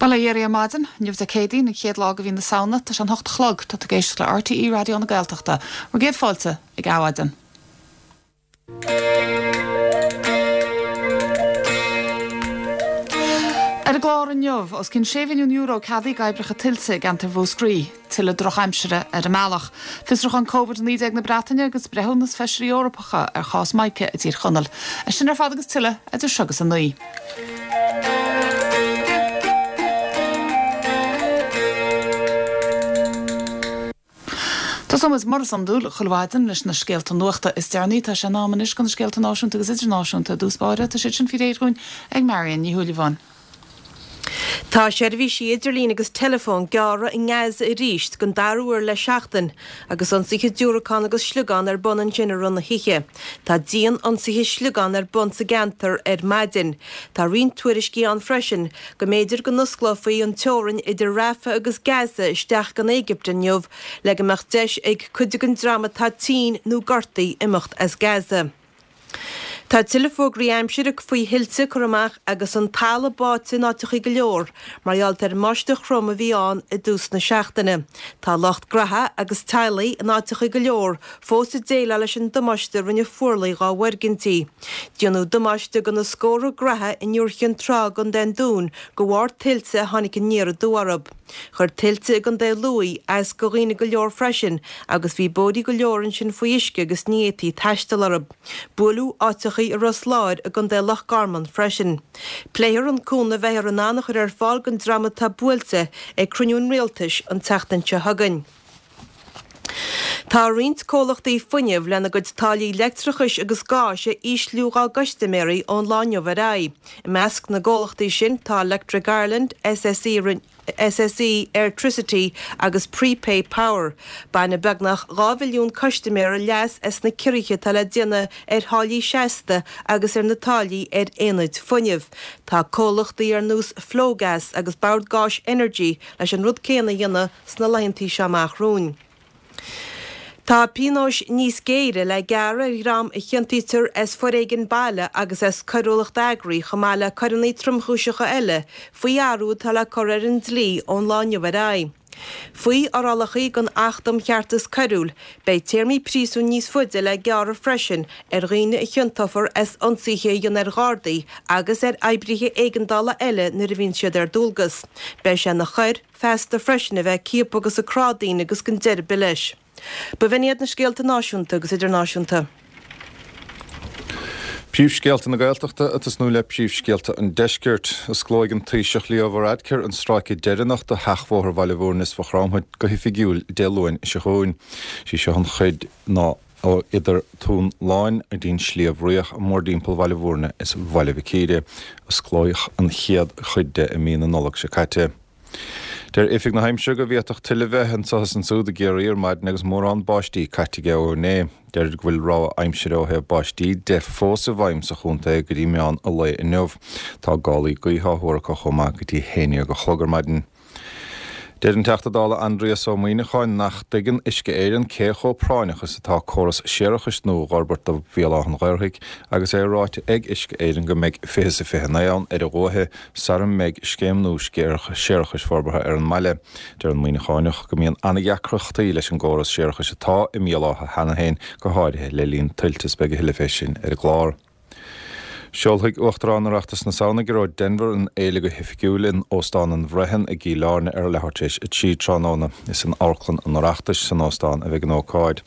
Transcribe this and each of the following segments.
Bail ó Dhia oraibh ar maidin. Inniu Dé Céadaoin, an chéad lá de mhí na Samhna. Tá sé an hocht a chlog. Tá tú ag éisteacht le RTÉ Raidió na Gaeltachta. Bhur gcéad fáilte ag Adhmhaidin. Ar an gclár inniu, os cionn €6 mhilliún ceadaithe d'oibreacha tuilte i gceantar Mhúscraí. Tuilleadh drochaimsire ar an mbealach. Fiosrúchán Covid-19 na Breataine agus breithiúnas Feisirí Eorpacha ar chás Mica i dTír Chonaill. É sin ar fad agus tuilleadh idir seo agus a 9. Tosóidh muid, mar is iondúil, chuile mhaidin leis na scéalta nuachta is deireanaí. Tá sé in am anois do na scéalta náisiúnta agus idirnáisiúnta i dtús báire. Tá siad sin faoi réir dhúinn ag Marion Ní Shúilleabháin. Tá seirbhísí idirlín agus teileafóin gearrtha i nGaza arís den dara huair le seachtain agus ionsaithe diúracán agus sliogán ar bun ansin i rith na hoíche. Tá dian-ionsaithe sliogán ar bun sa gceantar ar maidin. Tá roinnt tuairiscí ann freisin go mb'fhéidir go n-osclófaí an teorainn idir Rafah agus Gaza isteach go an Éigipt inniu le go mbeadh deis ag cuid den dream atá tinn nó gortaithe imeacht as Gaza. Tá tuilleadh fógraí aimsire faoi thuilte curtha amach agus an talamh báite in áiteachaí go leor mar gheall ar an mbáisteach throm a bhí ann i dtús na seachtaine. Tá lucht graithe agus teaghlaigh in áiteachaí go leor fós ag déileáil leis an damáiste a rinne fuarlaigh dhá bhfoirgintí. Déanadh damáiste do na scórtha graithe in Iúr Chinn Trá i gContae an Dúin de bharr tuilte a tháinig aniar aduaidh orthu. Chuir tuilte i gContae Lú as do dhaoine go leor freisin agus bhí bóithrí go leor ansin faoi uisce agus ní fhéadfaí taisteal orthu. Buaileadh áiteachaí i Ros Láir i gContae Loch Garman freisin. Pléifear an cúnamh a bheifear in ann a chur ar fáil don dream atá buailte ag cruinniú an Rialtais an tseachtain seo chugainn. Tá roinnt comhlachtaí fuinnimh lena gcuid táillí leictreachais agus gáis a ísliú dhá gcustaiméirí ón lá inniu ar aghaidh. I measc na gcomhlachtaí sin tá Electric Ireland, SSE, SSE Airtricity agus Prepay Power. Bainfidh beagnach 2 mhilliún custaiméara leas as na ciorruithe atá le déanamh ar tháillí seasta agus ar na táillí ar aonaid fuinnimh. Tá comhlachtaí ar nós Flogas agus Bord Gáis Energy leis an rud céanna a dhéanamh sna laethantaí seo amach romhainn. Tá pionóis níos géire le gearradh ar dhream a chiontaítear as foréigean baile agus as coiriúlacht eagraithe chomh maith le coireanna tromchúiseacha eile faoi athrú atá le cur ar an dlí ón lá inniu ar aghaidh. Faoi fhorálacha den Acht um Cheartas Coiriúil, beidh téarmaí príosúin níos faide le gearradh freisin ar dhaoine a chiontófar as ionsaithe a dhéanamh ar Ghardaí agus ar oibrithe éigeandála eile nuair a bhíonn siad ar dualgas. Beidh sé ina choir feasta freisin a bheith ag ciapadh agus ag crá daoine agus gan deireadh ar bith leis. B'in iad na scéalta náisiúnta agus idirnáisiúnta. Príomhscéalta na Gaeltachta ag tosnú le príomhscéalta an Deiscirt. Osclóidh an Taoiseach Leo Varadkar an stráice deireanach de sheachbhóthar Bhaile Bhúirne is Mhaigh Chromtha go hoifigiúil Dé Luain seo chugainn. Sí seo an chuid ná ó idir Tóin Láin go dtí an Sliabh Riach mórdtimpeall Bhaile Bhúirne is Bhaile Mhic Íre. Osclaíodh an chéad chuid de i mí na Nollag seo caite. Deir Oifig na hAimsire go bhféadfadh tuile bheith anseo is ansúd i gCiarraí ar maidin agus mórán báistí caite aige ó inné. Deirid go bhfuil rabhadh aimsire ó thaobh báistí de fós i bhfeidhm sa chontae go dtí meán an lae inniu. Tá gálaí gaoithe á thuar acu chomh maith go dtí haon dhéag a chlog ar maidin. Deir an Teachta Dála Aindrias Ó Muimhneacháin nach dtuigeann Uisce Éireann cé chomh práinneach is atá córas séarachais nua a dh'fhorbairt do Bhéal Átha an Ghaorthaidh agus é ráite ag Uisce Éireann go mbeidh fiche is a 29 ann ar a dhúiche sara mbeidh scéim nua séarachais forbartha ar an mbaile. Deir an Muimhneacháineach go mbíonn an-deacrachtaí leis an gcóras séarachais atá i mBéal Átha cheana féin, go háirithe le linn tuilte is beidh a thuilleadh fé sin ar an gclár. Seolfaidh Uachtarán Oireachtas na Samhna, Gearóid Denvir, an fhéile go hoifigiúil in Óstán an Bhroighean i gCill Airne ar leathuair tar éis 3 tráthnóna. Is in Amharclann an Oireachtais san óstán a bheidh an ócáid.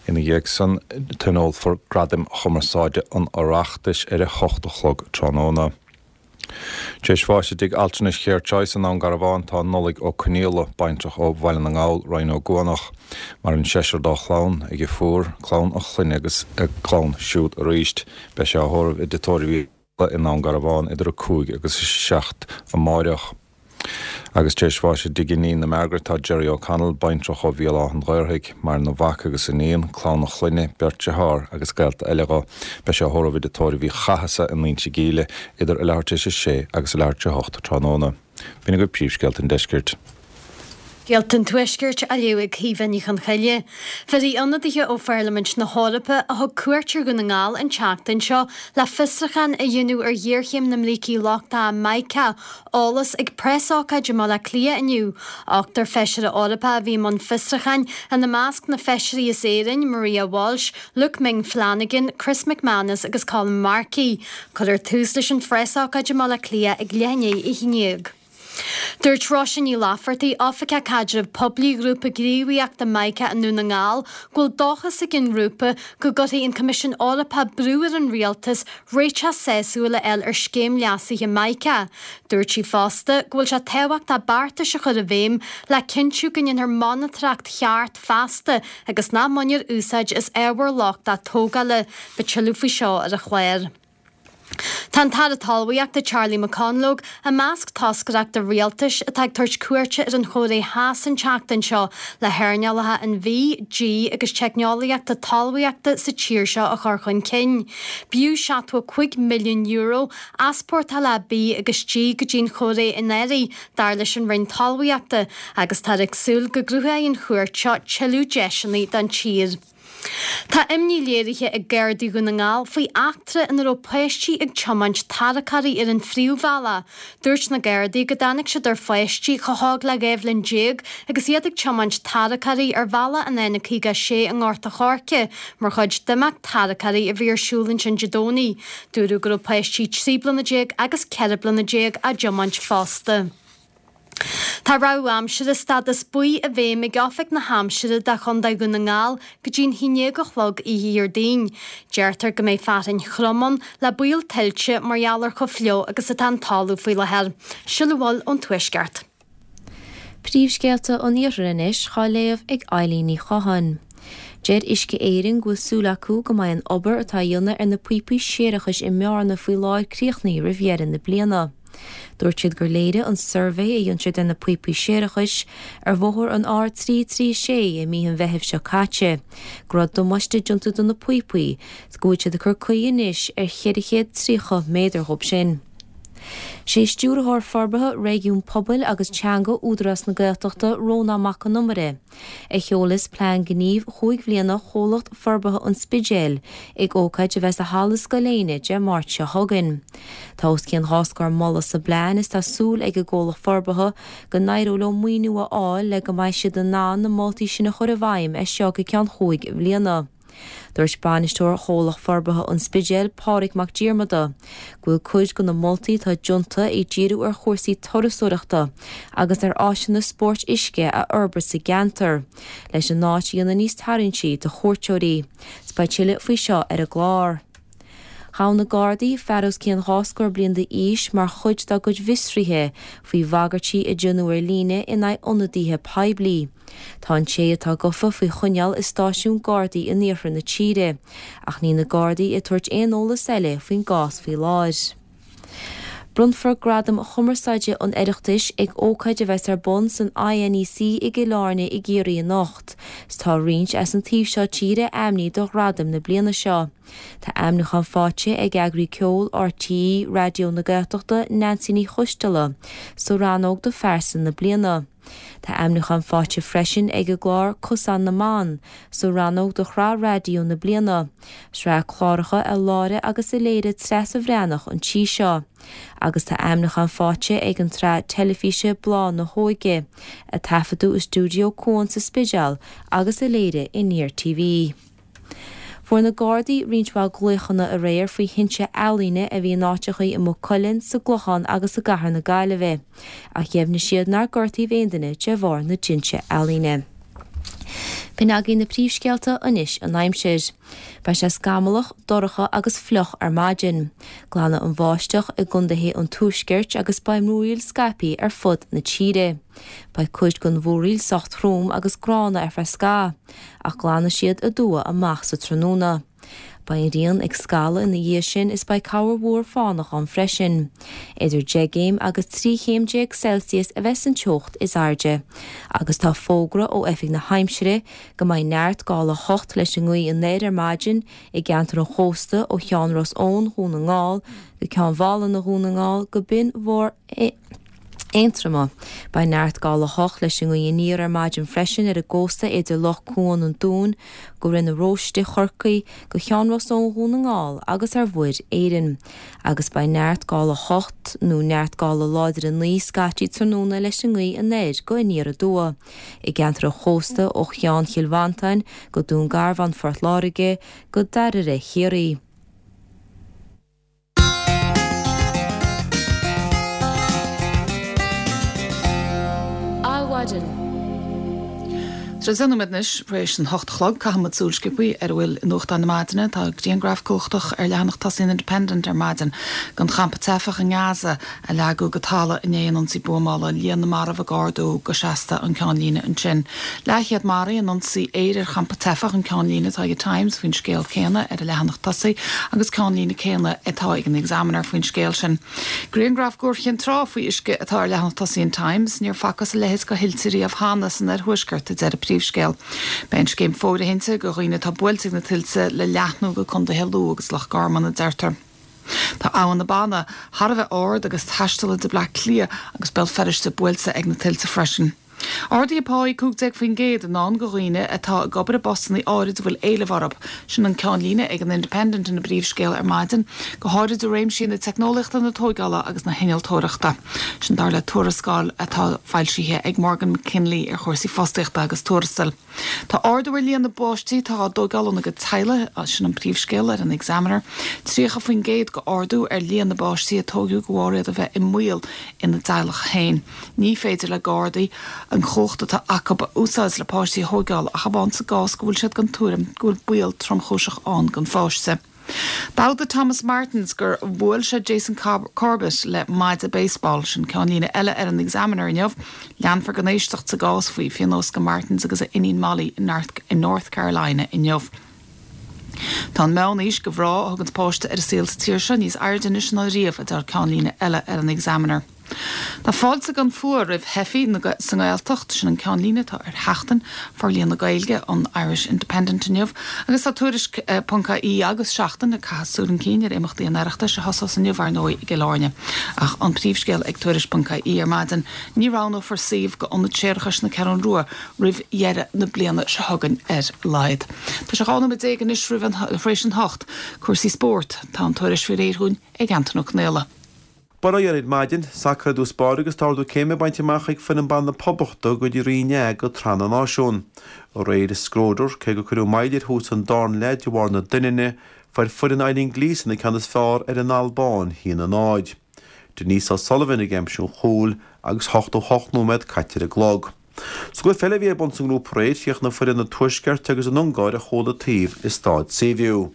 Ina dhiaidh san, tionólfar Gradaim Chumarsáide an Oireachtais ar a hocht a chlog tráthnóna. Tar éis bháis i dtigh altranais Care Choice i nDún Garbhán tá Nollaig Ó Conaola, baintreach ó Bhaile na nGall, Rinn Ó gCuanach. Maireann seisear dá chlann, a dheirfiúr, clann a chlainne agus a clann siúd arís. Beidh sé á thórramh i dTigh Tórraimh Uí i nDún Garbhán idir 5 agus 7 amáireach. Agus tar éis bháis i dtigh a iníne Margaret tá Gerry O'Connell, baintreach ó Bhéal Átha an Ghaorthaidh, maireann a mhac agus a iníon, clann a chlainne, beirt dearthár agus gaolta eile dho. Beidh sé á thórramh i dtigh tórraimh Uí Chathasaigh in Inse Gíle idir a leathuair tar éis a sé agus a leathuair tar éis a hocht tráthnóna. B'in agaibh príomhscéalta an deiscirt. Scéalta an Tuaiscirt á léamh ag Caoimhe Ní Chonchoille. Bhéarfaidh ionadaithe ó Pharlaimint na hEorpa a thug cuairt ar Dhún na nGall an tseachtain seo le fiosrúchán a dhéanamh ar ghéarchéim na mbrící lochtacha Mica, eolas ag preasócáid i mBaile Átha Cliath inniu. Ochtar feisire Eorpach a bhí i mbun fiosrúcháin, ina measc na feisirí as Éirinn, Maria Walsh, Luke Ming Flanagan, Chris McManus agus Colm Markey. Cuirfear tús leis an phreasócáid i mBaile Átha Cliath ag leath i ndiaidh a 11. Dúirt Róise Ní Laifeartaigh, Oifigeach Caidrimh Poiblí Ghrúpa Gníomhaíochta Mica i nDún na nGall, go bhfuil dóchas ag an ngrúpa go gcuirfidh an Coimisiún Eorpach brú ar an rialtas réiteach sásúil a fháil ar scéim leasaithe Mica. Dúirt sí fosta go bhfuil sé tábhachtach beartais a chur i bhfeidhm le cinntiú go ndéanfar monatóireacht cheart feasta agus nach mbainfear úsáid as ábhar lochtach tógála. Beidh tuilleadh faoi seo ar an chlár. Tá an tAire Talmhaíochta Charlie McConalogue i measc toscaireachta rialtais atá ag tabhairt cuairte ar an Chóiré Theas an tseachtain seo le hearnálacha an bhídh, dí agus teicneolaíochta talmhaíochta sa tír seo a chur chun cinn. B'fhiú €75 milliún easpórtálacha bídh agus dí go dtí an Chóiré anuraidh, dar leis an Roinn Talmhaíochta, agus táthar ag súil go gcruthóidh an chuairt seo tuilleadh deiseanna don tír. Tá imní léirithe ag Gardaí Dhún na nGall faoi eachtra ina raibh páistí ag tiomáint tarracóirí ar an phríomhbhealach. Dúirt na Gardaí go dtáinig siad ar pháistí chomh hóg le 12 bhliain agus iad ag tiomáint tarracóirí ar bhealach an N56 i nGort a' Choirce mar chuid d'imeacht tarracóirí a bhí ar siúl ansin Dé Domhnaigh. Dúradh go raibh páistí 13 bliana agus 14 bliana á dtiomáint fosta. Tá rabhadh aimsire stádas buí i bhfeidhm ag Oifig na hAimsire do Chontae Dhún na nGall go dtí'n 11 a chlog oíche Dhéardaoin. Deirtear go mbeidh fearthainn throm ann le baol tuilte mar gheall ar chomh fliuch agus atá an talamh faoi láthair. Sin a bhfuil ón Tuaisceart. Príomhscéalta an Iarthair anois á léamh ag Eilín Ní Chatháin. Deir Uisce Éireann go bhfuil súil acu go mbeidh an obair atá á dhéanamh ar na píopaí séarachais i mBearna faoi láthair críochnaithe roimh dheireadh na bliana. Dúirt siad gur léirigh an suirbhé a dhein siad ar na píopaí séarachais ar bhóthar an R336 i mí an Mheithimh seo caite go raibh damáiste déanta do na píopaí 's go bhfuil siad ag cur caoi anois ar 430 méadar dhób sin. Sé Stiúrthóir Forbartha Réigiún Pobail agus Teanga Údarás na Gaeltachta Rónán Mac Con Iomaire a sheolfas plean gnímh chúig bhliana Chomhlacht Forbartha an Spidéil ag ócáid a bheas i Halla Scoil Éinne Dé Máirt seo chugainn. Tá os cionn dhá scór moladh sa bplean is tá súil ag an gcomhlacht forbartha go n-éireoidh leo maoiniú a fháil le go mbeidh siad in ann na moltaí sin a chur i bhfeidhm as seo go ceann chúig bhliana. Dúirt bainisteoir Chomhlacht Forbartha an Spidéil, Pádraig Mac Diarmada, go bhfuil cuid de na moltaí atá déanta ag díriú ar chúrsaí turasóireachta agus ar áiseanna spóirt uisce a fhorbairt sa gceantar leis an áit a dhéanamh níos tarraingtí do chuairteoirí. 'S beidh tuilleadh faoi seo ar an gclár. Ghabh na Gardaí fear os cionn dhá scór bliain d'aois mar chuid dá gcuid bhfiosruithe faoi bhagairtí a déanadh ar líne in aghaidh ionadaithe poiblí. Tá an té atá gafa faoi choinneáil i stáisiún Gardaí in iarthar na tíre, ach níl na Gardaí ag tabhairt aon eolas eile faoin gcás faoi láthair. Bronnfar Gradaim Chumarsáide an Oireachtais ag ócáid a bheas ar bun san INEC i gCill Airne i gCiarraí anocht. 's tá roinnt as an taobh seo tíre ainmnithe do ghradaim na bliana seo. Tá ainmniúchán faighte ag eagraí ceoil RTÉ Raidió na Gaeltachta Neansaí Ní Choisdealbha sa rannóg do Phearsa na Bliana. Tá ainmniúchán faighte freisin ag an gclár Cosán na mBan sa rannóg do Shraith Raidió na Bliana, sraith cláracha a láithrigh agus a léirigh Treasa Bhreathnach an tí seo. Agus tá ainmniúchán faighte ag an tsraith teilifíse Bláth na hÓige, a taifeadadh i stiúideo Cuan sa Spidéal agus a léirigh Aniar TV. Fuair na Gardaí roinnt mhaith glaochanna aréir faoi thinte ealaíne a bhí in áiteachaí i Maigh Cuilinn, sa gClochán agus i gcathair na Gaillimhe, ach dheimhnigh siad nár gortaíodh aon duine de bharr na dtinte ealaíne. B'in agaibh na príomhscéalta, anois an aimsir. Beidh sé scamallach, dorcha agus fliuch ar maidin. Glanfaidh an bháisteach i gcontaetha an tuaiscirt agus beidh múraíl scaipthe ar fud na tíre. Beidh cuid den mhúraíl sách trom agus gránna ar feadh scath. ach glanfaidh siad aduaidh amach sa tráthnóna. Beidh an ghrian ag scalladh ina dhiaidh sin is beidh corrmhúr fánach ann freisin. Idir 10 gcéim agus 13 chéim Celsius a bheas an teocht is airde. Agus tá fógra ó Oifig na hAimsire go mbeidh neart gála 8 leis an ngaoth anoir ar maidin i gceantar an chósta ó Cheann Ros Eoin Dhún na nGall go Ceann Mhálanna Dhún na nGall go Binn Mhór. Aontroma. Beidh neart gála 8 leis an ngaoth aniar ar maidin freisin ar an gcósta idir Loch Cuan an Dúin go Rinn na Róiste Chorcaí go Ceann Ros Eoin Dhún na nGall agus ar Mhuir Éireann. Agus beidh neart gála 8 nó neart gála láidir 9 scaití tráthnóna leis an ngaoth anoir go aniar aduaidh i gceantar an chósta ó Cheann Chill Mhantáin go Dún Garbhán Phort Láirge go Dairbhre Chiarraí. Adhmhaidin. Tá sé 10 nóiméad anois tar éis an hocht a chlog. Caithfidh muid súil sciobthaí ar a bhfuil i nuachtáin na maidine. Tá grianghraf cumhachtach ar leathanach tosaigh an Independent ar maidin den champa teifeach i nGaza a leagadh go talamh i ndiaidh an ionsaí buamála. Líon na marbh ag ardú go seasta an ceannlíne ansin. Leathchéad maraithe in ionsaí aeir ar champa teifeach an ceannlíne atá ag an Times faoin scéal céanna ar a leathanach tosaigh agus ceannlíne céanna atá ag an Examiner faoin scéal sin. Grianghraf d'Iúr Chinn Trá faoi uisce atá ar leathanach tosaigh an Times. Níor facthas a leithéid de thuilte riamh cheana san oirthuaisceart, a deir an príomhscéal. Beidh an scéim fóirithinte do dhaoine atá buailte ag na tuilte le leathnú go contaetha Lú agus Loch Garman, a deirtear. Tá Abhainn na Banna thar a bheith ard agus taistealaithe Bleá Cliath agus Béal Feirste buailte ag na tuilte freisin. Arduithe páí 15% i ndán do dhaoine atá ag obair i bpostanna áirid a bhfuil éileamh orthu. Sin an ceannlíne ag an Independent ina bpríomhscéal ar maidin, go háirid i réimsí na teicneolaíochta, na tóigeála agus na hinnealtóireachta. Sin dar le tuarascáil atá foilsithe ag Morgan McKinley ar chúrsaí fostaíochta agus tuarastail. Tá ardú ar líon na bpáistí atá á dtóigeáil óna gcuid teaghlaigh, sin an príomhscéal ar an Examiner. 30% de ardú ar líon na bpáistí a tóigeadh de bharr iad a bheith i mbaol ina dteaghlach féin. Ní féidir le Gardaí an chumhacht atá acu a úsáid le páistí a thóigeáil ach amháin sa gcás go bhfuil siad den tuairim go bhfuil baol tromchúiseach ann don pháiste. D'admhaigh Thomas Martins gur bhuail sé Jason Corbett le maide baseball. Sin ceannlíne eile ar an Examiner inniu. Leanfar den éisteacht sa gcás faoi phionós do Martins agus a iníon Molly i North Carolina inniu. Tá an meán-aois do mhná a thuganns páiste ar an saol sa tír seo níos airde anois ná riamh, a deir ceannlíne eile ar an Examiner. Tá fáilte gan fuath roimh theifigh sa nGaeltacht, sin an ceannlíne atá ar Sheachtain Forlíonadh Gaeilge an Irish Independent inniu agus tá Tuairisc ponc ie agus Seachtain ag caitheamh súil chun cinn ar imeachtaí an Oireachtais a thosós inniu ar ndóigh i gCill Airne. Ach an príomhscéal ag Tuairisc ponc ie ar maidin, ní roghnófar suíomh d'Ionad Séarachais na Ceathrún Rua roimh dheireadh na bliana seo chugainn ar a laghad. Tá sé 12 nóiméad anois roimh an tar éis an hocht. Cúrsaí spóirt, tá an tuairisc faoi réir dhúinn ag Antain Ó Conaola. Bail ó Dhia oraibh ar maidin, sacar i dtús báire agus tá ardú céime bainte amach ag foireann ban na Poblachta go dtí Roinn A de Shraith na Náisiún. Aréir i Skadar, cé gur cuireadh moill ar thús an darna leath de bharr na doininne, fuair foireann Eileen Gleeson an ceann is fearr ar an Albáin, 1-0. Denise O'Sullivan ag aimsiú an chúil agus 88 nóiméad caite ar an gclog. Sa gcluiche eile a bhí ar bun sa ngrúpa aréir, chríochnaigh foireann an Tuaiscirt agus an Ungáir ar chúl an taobh i Staid Seaview.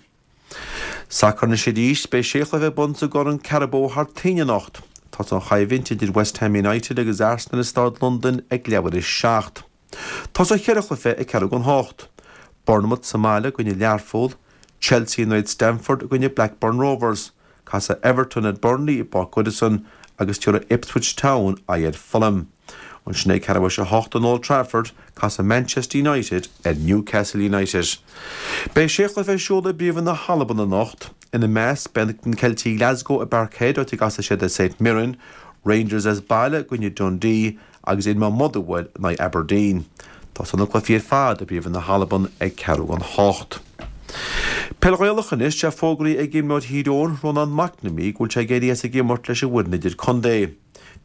Sacar anois arís, beidh sé chluiche ar bun sa gCorn Carabao thar toinn anocht. Tosóidh an choimhlint idir West Ham United agus Arsenal i Staid Londain ag leathuair théis 7. Tosóidh cheithre chluiche ag ceathrú don hocht. Bournemouth sa mbaile i gcoinne Learpholl, Chelsea in aghaidh Stamford i gcoinne Blackburn Rovers, Casfaidh Everton ar Burnley i bPáirc Goodison agus tabharfaidh Ipswich Town aghaidh ar Fulham. Ansin ag ceathrú théis a hocht in Old Trafford, casfaidh Manchester United ar Newcastle United. Beidh sé chluiche ar siúl i bPríomhroinn na hAlban anocht. Ina measc, beidh na Ceiltigh Glasgow i bParkhead, áit a gcasfaidh siad ar St Mirren, Rangers as baile i gcoinne Dundee agus Inma Motherwell in aghaidh Aberdeen. Tosóidh na cluichí ar fad i bPríomhroinn na hAlban ag ceathrú don hocht. Peil Ghaelach anois, tá fógraithe ag imreoir Thír Eoghain, Rónán McNamee, go bhfuil sé ag éirí as ag imirt leis an bhfoireann idir-contae.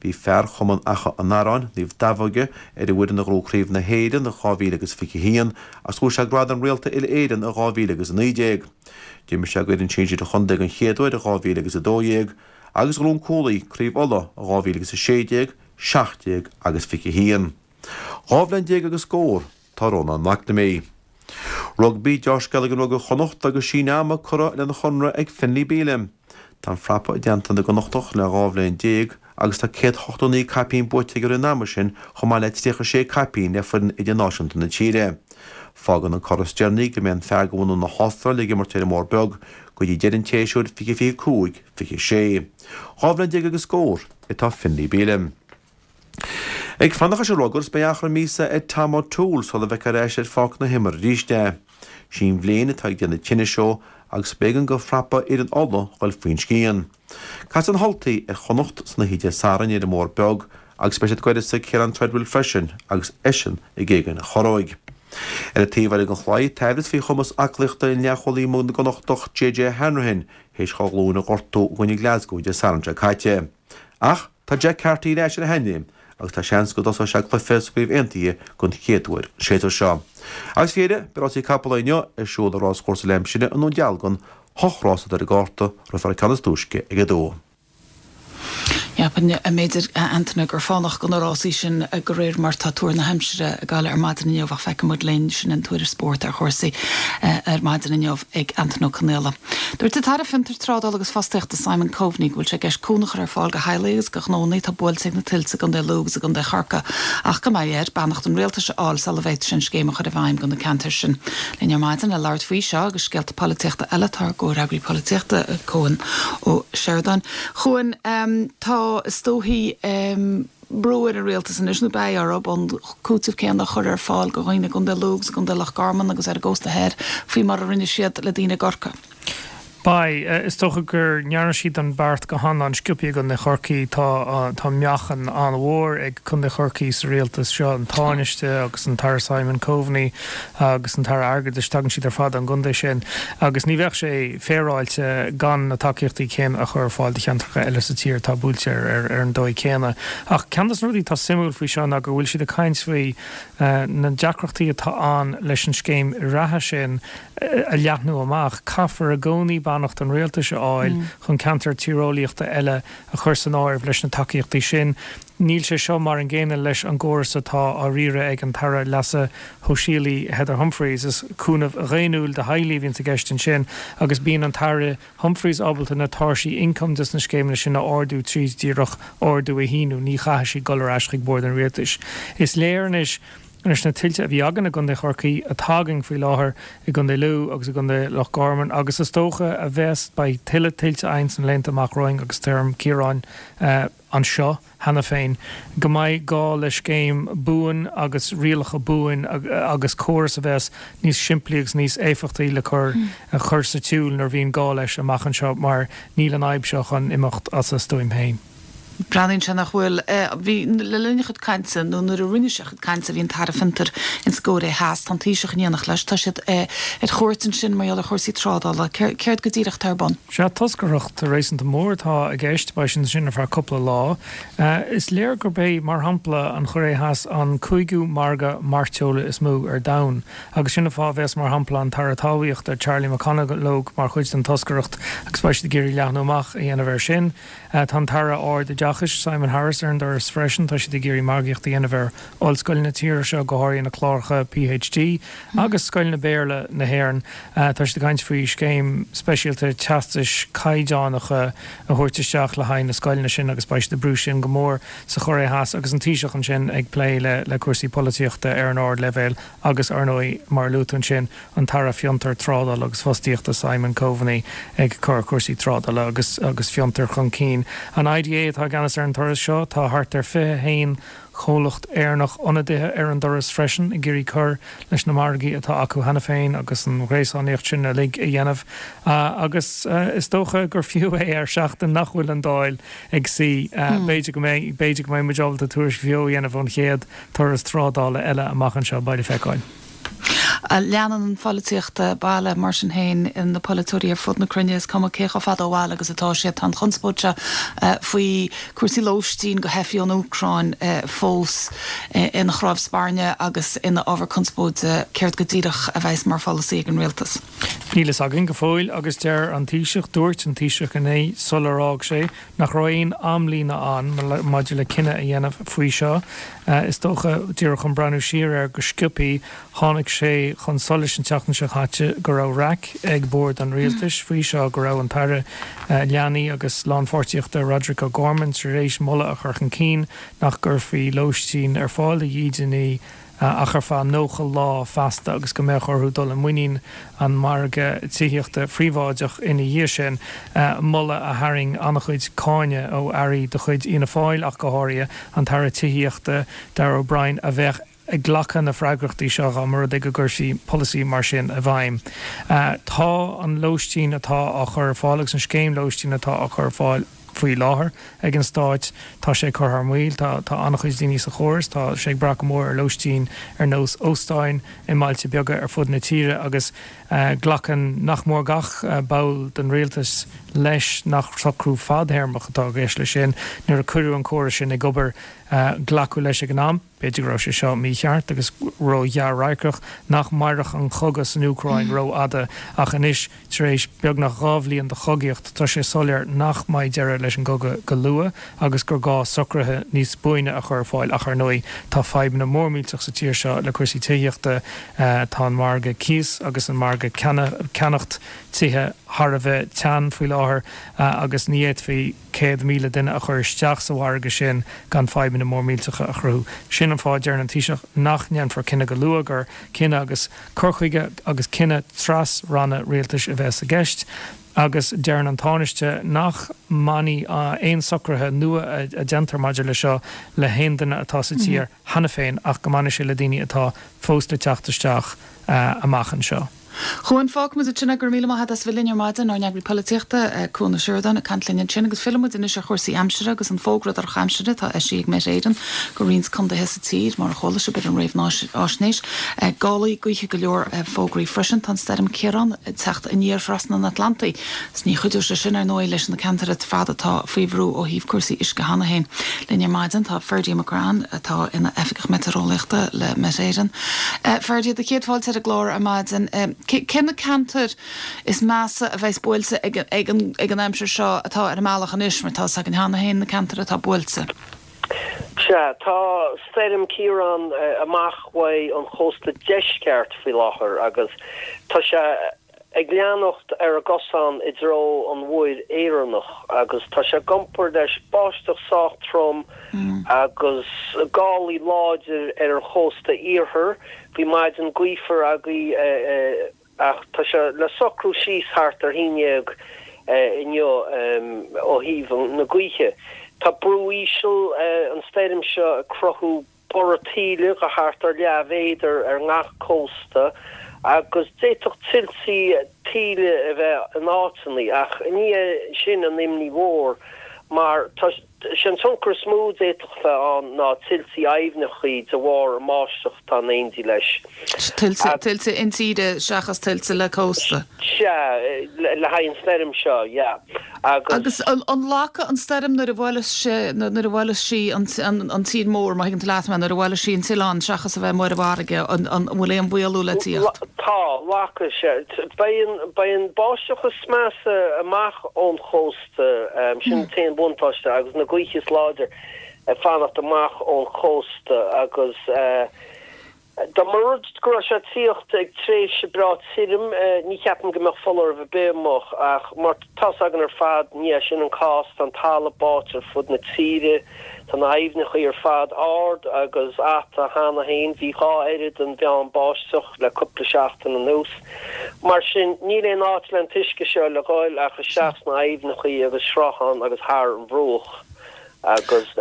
Bhí fear Chumann Achadh an Arráin, Naomh Daimheoige, ar an bhfoireann a ghnóthaigh Craobh na hÉireann i 2021 agus ghnóthaigh sé gradam Réalta Uile-Éireann i 2019. D'imir sé d'fhoireann sinsir an chontae den chéad uair i 2012 agus ghnóthaigh an cúlaí Craobh Uladh i 2016, 17 agus 21. 12 bhliain agus scór atá ar Rónán McNamee. Rugbaí, Deá-scéala ag an Rugbaí Chonnacht agus síneadh ama curtha lena chonradh ag Finlay Bealham. Tá an frapa i dteannta na gConnachtach le 12 bhliain agus tá 189 caipín buaite aige i rith an ama sin chomh maith le 36 caipín le foireann idirnáisiúnta na tíre. Fágann an cor is deireanaí go mbeidh an fear de bhunadh na hAstráile ag imirt ar an mBarr Beag go dtí deireadh an tséasúir 2025, 26. 12 bhliain agus scór atá Finlay Bealham. Ag fanacht leis an rugar is beidh achar míosa ar Tom O'Toole sula bhfeicfear ar ais ar pháirc na himeartha arís é. Sí an bhliain atá ag déanamh tinnis dó agus b'éigean do phrapa fhoireann Uladh dhul faoin scian. Casfaidh na hUltaigh ar Chonnacht san oíche Dé Sathairn ar an mBarr Beag. Agus beidh siad ag goireasa Ciarán Treadwell freisin agus eisean ag éagain a chorróig. Ar an taobh eile den chlaí, tá aimhreas faoi chumas aclaíochta an leathchúlaí na gConnachtach JJ Hanrahan théis dhá ghlúin a ghortú i gcoinne Glasgow Dé Sathairn seo caite. Ach tá Jack Carty ar ais ar a sheanléim agus tá seans go dtosóidh sé cluiche sa gCraobh Aontaithe den chéad uair an séasúr seo. Agus faoi dheireadh, beidh rásaí capall inniu ar siúl i Ráschúrsa Lemshinna i nDún Dealgan, hocht rás atá ar an gcárta, rithfear an ceann is túisce ag a dó. Cheapfainn, b'fhéidir, a Antaine, gur fánach do na rásaí sin de réir mar tá tuar na haimsire ag gabháil ar maidin inniu ach feicfidh muid linn. Sin an tuairisc spóirt ar chúrsaí ar maidin inniu ag Antaine Ó Conaola. Dúirt an tAire Fiontar, Trádála agus Fostaíochta Simon Coveney go bhfuil sé i gceist cúnamh a chur ar fáil do theaghlaigh agus do ghnónna atá buailte ag na tuilte i gContae Lú agus i gContae Chorcaí ach go mbeidh air beannacht an Rialtais a fháil sula bhféadfaidh sé an scéim a chur i bhfeidhm do na ceantair sin. Linn ar maidin le labhairt faoi seo agus scéalta polaitíochta eile tá ár gcomhfhreagraí polaitíochta, Cuan Ó Seireadáin. Chuan, tá, is dóichí, brú ar an rialtas anois, nó beidh orthu, an cúiteamh céanna a chur ar fáil do dhaoine i gContae Lú agus i gContae Loch Garman agus ar an gcósta thoir faoi mar a rinne siad le daoine i gCorcaigh. Beidh. Is dócha go ndearna siad an beart go han-an-sciobtha i gContae Chorcaí. Tá tá meáchan an-mhór ag Contae Chorcaí sa rialtas seo, an Tánaiste agus an tAire Simon Coveney agus an tAire Airgeadais, tagann siad ar fad ón gcontae sin agus ní bheadh sé féaráilte gan na tacaíochtaí céanna a chur ar fáil do cheantracha eile sa tír atá buailte ar an dóigh céanna. Ach ceann de na rudaí atá suimiúil faoi seo ná go bhfuil siad ag caint faoi na deacrachtaí atá ann leis an scéim reatha sin a leathnú amach. Caithfear i gcónaí beannacht an rialtais a fháil chun ceantair tíreolaíochta eile a chur san áireamh leis na tacaíochtaí sin. Níl sé seo mar an gcéanna leis an gcóras atá á riaradh ag an tAire Leasa Shóisialaigh Heather Humphreys. Is cúnamh dhaonnúil do theaghlaigh a bhíonns i gceist ansin agus bíonn an tAire Humphreys ábalta na tairsí ioncaim dos na scéimeanna sin a ardú tríd díreach ordú a shíniú. Ní chaithfidh sí dul ar ais chuig bord an rialtais. Is léir anois leis na tuilte a bhí againn i gContae Chorcaí, atá againn faoi láthair i gContae Lú agus i gContae Loch Garman agus is dócha a bheas, beidh tuilleadh tuilte againn sna laethanta amach romhainn agus Stoirm Ciarán anseo cheana féin, go mbeidh gá le scéim buan agus rialacha buan agus córas a bheas níos simplí agus níos éifeachtaí le cur a chur sa tsiúl nuair a bhíonn gá leis amach anseo mar níl an fhadhb seo chun imeacht as a stuaim féin. Breathnaíonn sé nach bhfuil. Bhí, le linn a chuid cainte, nó nuair a rinne sé a chuid cainte, bhí an tAire Fiontair ins an gCóiré Theas. Tá an Taoiseach in éineacht leis. Tá siad ar chuairt ansin mar gheall ar chúrsaí trádála. Céard go díreach atá ar bun? Sea, toscaireacht réasúnta mór atá i gceist. Beidh siad ansin ar feadh cúpla lá. Is léir gurb é, mar shampla, an Chóiré Theas an cúigiú margadh mairteola is mó ar domhan. Agus sin an fáth a bheas, mar shampla, an tAire Talmhaíochta, Charlie McConalogue, mar chuid den toscaireacht agus beidh siad ag iarraidh leathnú amach a dhéanamh air sin. Tá an tAire Ard-Oideachais, Simon Harris, ar an dturas freisin. Tá siad ag iarraidh margaíocht a dhéanamh ar ollscoileanna na tíre seo, go háirithe na cláracha PhD agus scoileanna Béarla na hÉireann. Tá siad ag caint faoi scéim speisialta teastais caighdeánacha a thabhairt isteach le haghaidh na scoileanna sin agus beidh siad ag brú sin go mór sa Chóiré Theas agus an Taoiseach ansin ag plé le cúrsaí polaitíochta ar an ardleibhéal agus, ar ndóigh, mar a luaigh tú ansin, an tAire Fiontar, Trádála agus Fostaíochta Simon Coveney ag cur cúrsaí trádála agus agus fiontair chun cinn. An IDA atá i gceannas ar an turas seo. Tá thart ar 21 chomhlacht Éireannach ionadaithe ar an dturas freisin ag iarraidh cur leis na margaí atá acu cheana féin agus an ghréasánaíocht sin uilig a dhéanamh. Agus is dócha gur fiú é ar seachtain nach bhfuil an Dáil ag suí. B'fhéidir go mbeidh, b'fhéidir go mbeidh muid ábalta tuairisc bheo a dhéanamh ón chéad turas trádála eile amach anseo, beidh le feiceáil. Leanann an pholaitíocht baile, mar sin féin, na polaiteoirí ar fud na cruinne, is cuma cé chomh fada ó bhaile agus atá siad. Tá an chonspóid seo faoi chúrsaí lóistín do theifigh ón Úcráin fós ina chnámh spairne agus ina ábhar conspóide. Céard go díreach a bheas mar pholasaí ag an rialtas? Níl fhios againn go fóill agus deir an Taoiseach, dúirt an Taoiseach inné sular fhág sé, nach raibh aon amlíne ann maidir le cinneadh a dhéanamh faoi seo. Is dócha, díreach chun breathnú siar air go sciobthaí, tháinig sé chun solais an tseachtain seo caite go raibh raic ag bord an rialtais faoi seo, go raibh an tAire Leanaí agus Lánpháirtíochta Roderic O'Gorman tar éis moladh a chur chun cinn nach gcuirfí lóistín ar fáil do dhídeanaí ach ar feadh 90 lá feasta agus go mbeadh orthu dul i muinín an mhargaidh tithíochta phríobháideach ina dhiaidh sin, moladh a tharraing an-chuid cáineadh ó airí de chuid Fhianna Fáil ach go háirithe an tAire Tithíochta Darragh O'Brien a bheadh ag glacadh na freagrachtaí seo dá mba rud é go gcuirfí polasaí mar sin i bhfeidhm. Tá an lóistín atá á chur ar fáil agus an scéim lóistín atá á cur ar fáil. faoi láthair ag an stáit, tá sé ag cur thar maoil. Tá tá an-chuid daoine sa chóras, tá sé ag brath go mór ar lóistín ar nós óstáin i mbailte beaga ar fud na tíre agus glacann nach mór gach ball den rialtas leis nach socrú fadthéarmach atá i gceist leis sin. Nuair a cuireadh an córas sin ag obair, glacadh leis ag an am, b'fhéidir go raibh sé seo mícheart agus ró-ghearr-radharcach, nach mairfeadh an cogadh san Úcráin rófhada ach anois, tar éis beagnach 2 bhliain de chogaíocht, tá sé soiléir nach mbeidh deireadh leis an gcogadh go luath agus gur gá socruithe níos buaine a chur ar fáil. Ach ar ndóigh, tá fadhbanna mór millteach sa tír seo le cúrsaí tithíochta, tá an margadh cíos agus an margadh ceannacht tithe thar a bheith teann faoi láthair agus ní fhéadfaí 100,000 duine a chur isteach sa mhargadh sin gan fadhbanna mór millteacha a chruthú. Sin an fáth a deireann an Taoiseach nach ndéanfar cinneadh go luath, gur cinneadh agus cur chuige agus cinneadh tras-ranna rialtais a bheas i gceist agus deireann an Tánaiste nach mbainfidh aon socruithe nua a déantar maidir le seo le haon duine atá sa tír cheana féin ach go mbainfidh sé le daoine atá fós le teacht isteach amach anseo. Chuan, fágfaimid ansin é. Go raibh míle maith agat as bheith linn ar maidin, ár n-eagraí polaitíochta, Cuan Ó Seireadáin, ag caint linn ansin. Agus fillfidh muid anois ar chúrsaí aimsire agus an fógra drochaimsire atá eisithe ag Met Éireann go roinnt contaetha sa tír, mar a chuala sibh ar an réamhfháisnéis. Gálaí gaoithe go leor fógraí freisin. Tá an stoirm Ciarán ag teacht aniar thrasna an Atlantaigh. 'S ní chuideoidh sé sin, ar ndóigh, leis na ceantair ar fad atá faoi bhrú ó thaobh cúrsaí uisce cheana féin. Linn ar maidin tá Ferdia McCrann, atá ina Oifigeach Meitéareolaíochta le Met Éireann. Ferdia, do chéad fáilte ar an gclár ar maidin. Cé na ceantair is measa a bheas buailte ag ag an aimsir seo atá ar an mbealach anois, mar tá 'fhios againn cheana féin na ceantair atá buailte? Sea, tá stoirm Ciarán amach uaidh an chósta deisceart faoi láthair agus tá sé ag leanacht ar an gcosán i dtreo an Mhuir Éireannach agus tá sé ag iompar leis báisteach sách trom agus gálaí láidir ar an chósta iarthair. Bhí maidin gaofar againn ach tá sé le socrú síos thart ar haon dhéag inniu ó thaobh na gaoithe. Tá brú íseal an stoirm seo ag cruthú borradh taoille de thart ar leathmhéadar ar ngach cósta agus d'fhéadfadh tuiltí taoille a bheith in áiteanna ach ní hé sin an imní mhór mar tá sé an tionchar is mó a d'fhéadfadh bheith ann ná tuiltí aibhneacha de bharr an mbáisteach atá in éindí leis. Tuilte, tuilte intíre seachas tuilte le cósta. Sea, le haghaidh an stoirm seo, yeah. Agus. Agus an nglacfaidh an stoirm nuair a bhuaileas sé, nuair a bhuaileas sí an tír mór, má thuigeann tú leat mé, nuair a bhuaileas sí an t-oileán seachas a bheith amuigh ar an bhfarraige, an bhfuil aon mhaolú le tíocht? Tá, glacfaidh sé. Beidh an, beidh an báisteach is measa amach ón chósta, sin an t-aon bhuntáiste, agus na gaoithe is láidir ag fanacht amach ón chósta agus, Dá mba rud go raibh sé ag tíocht ag tréimhse breá tirim, ní cheapaim go mbeadh foláireamh ar bith amuigh, ach mar tá's againn ar fad, ní hé sin an cás, tá an talamh báite ar fud na tíre, tá na haibhneacha ar fad ard agus ata cheana féin, bhí dhá oiread den mheán báisteach le cúpla seachtain anuas. Mar sin, níl aon áit le an t-uisce seo le dhul ach isteach sna haibhneacha agus srutháin agus thar an bhruach agus.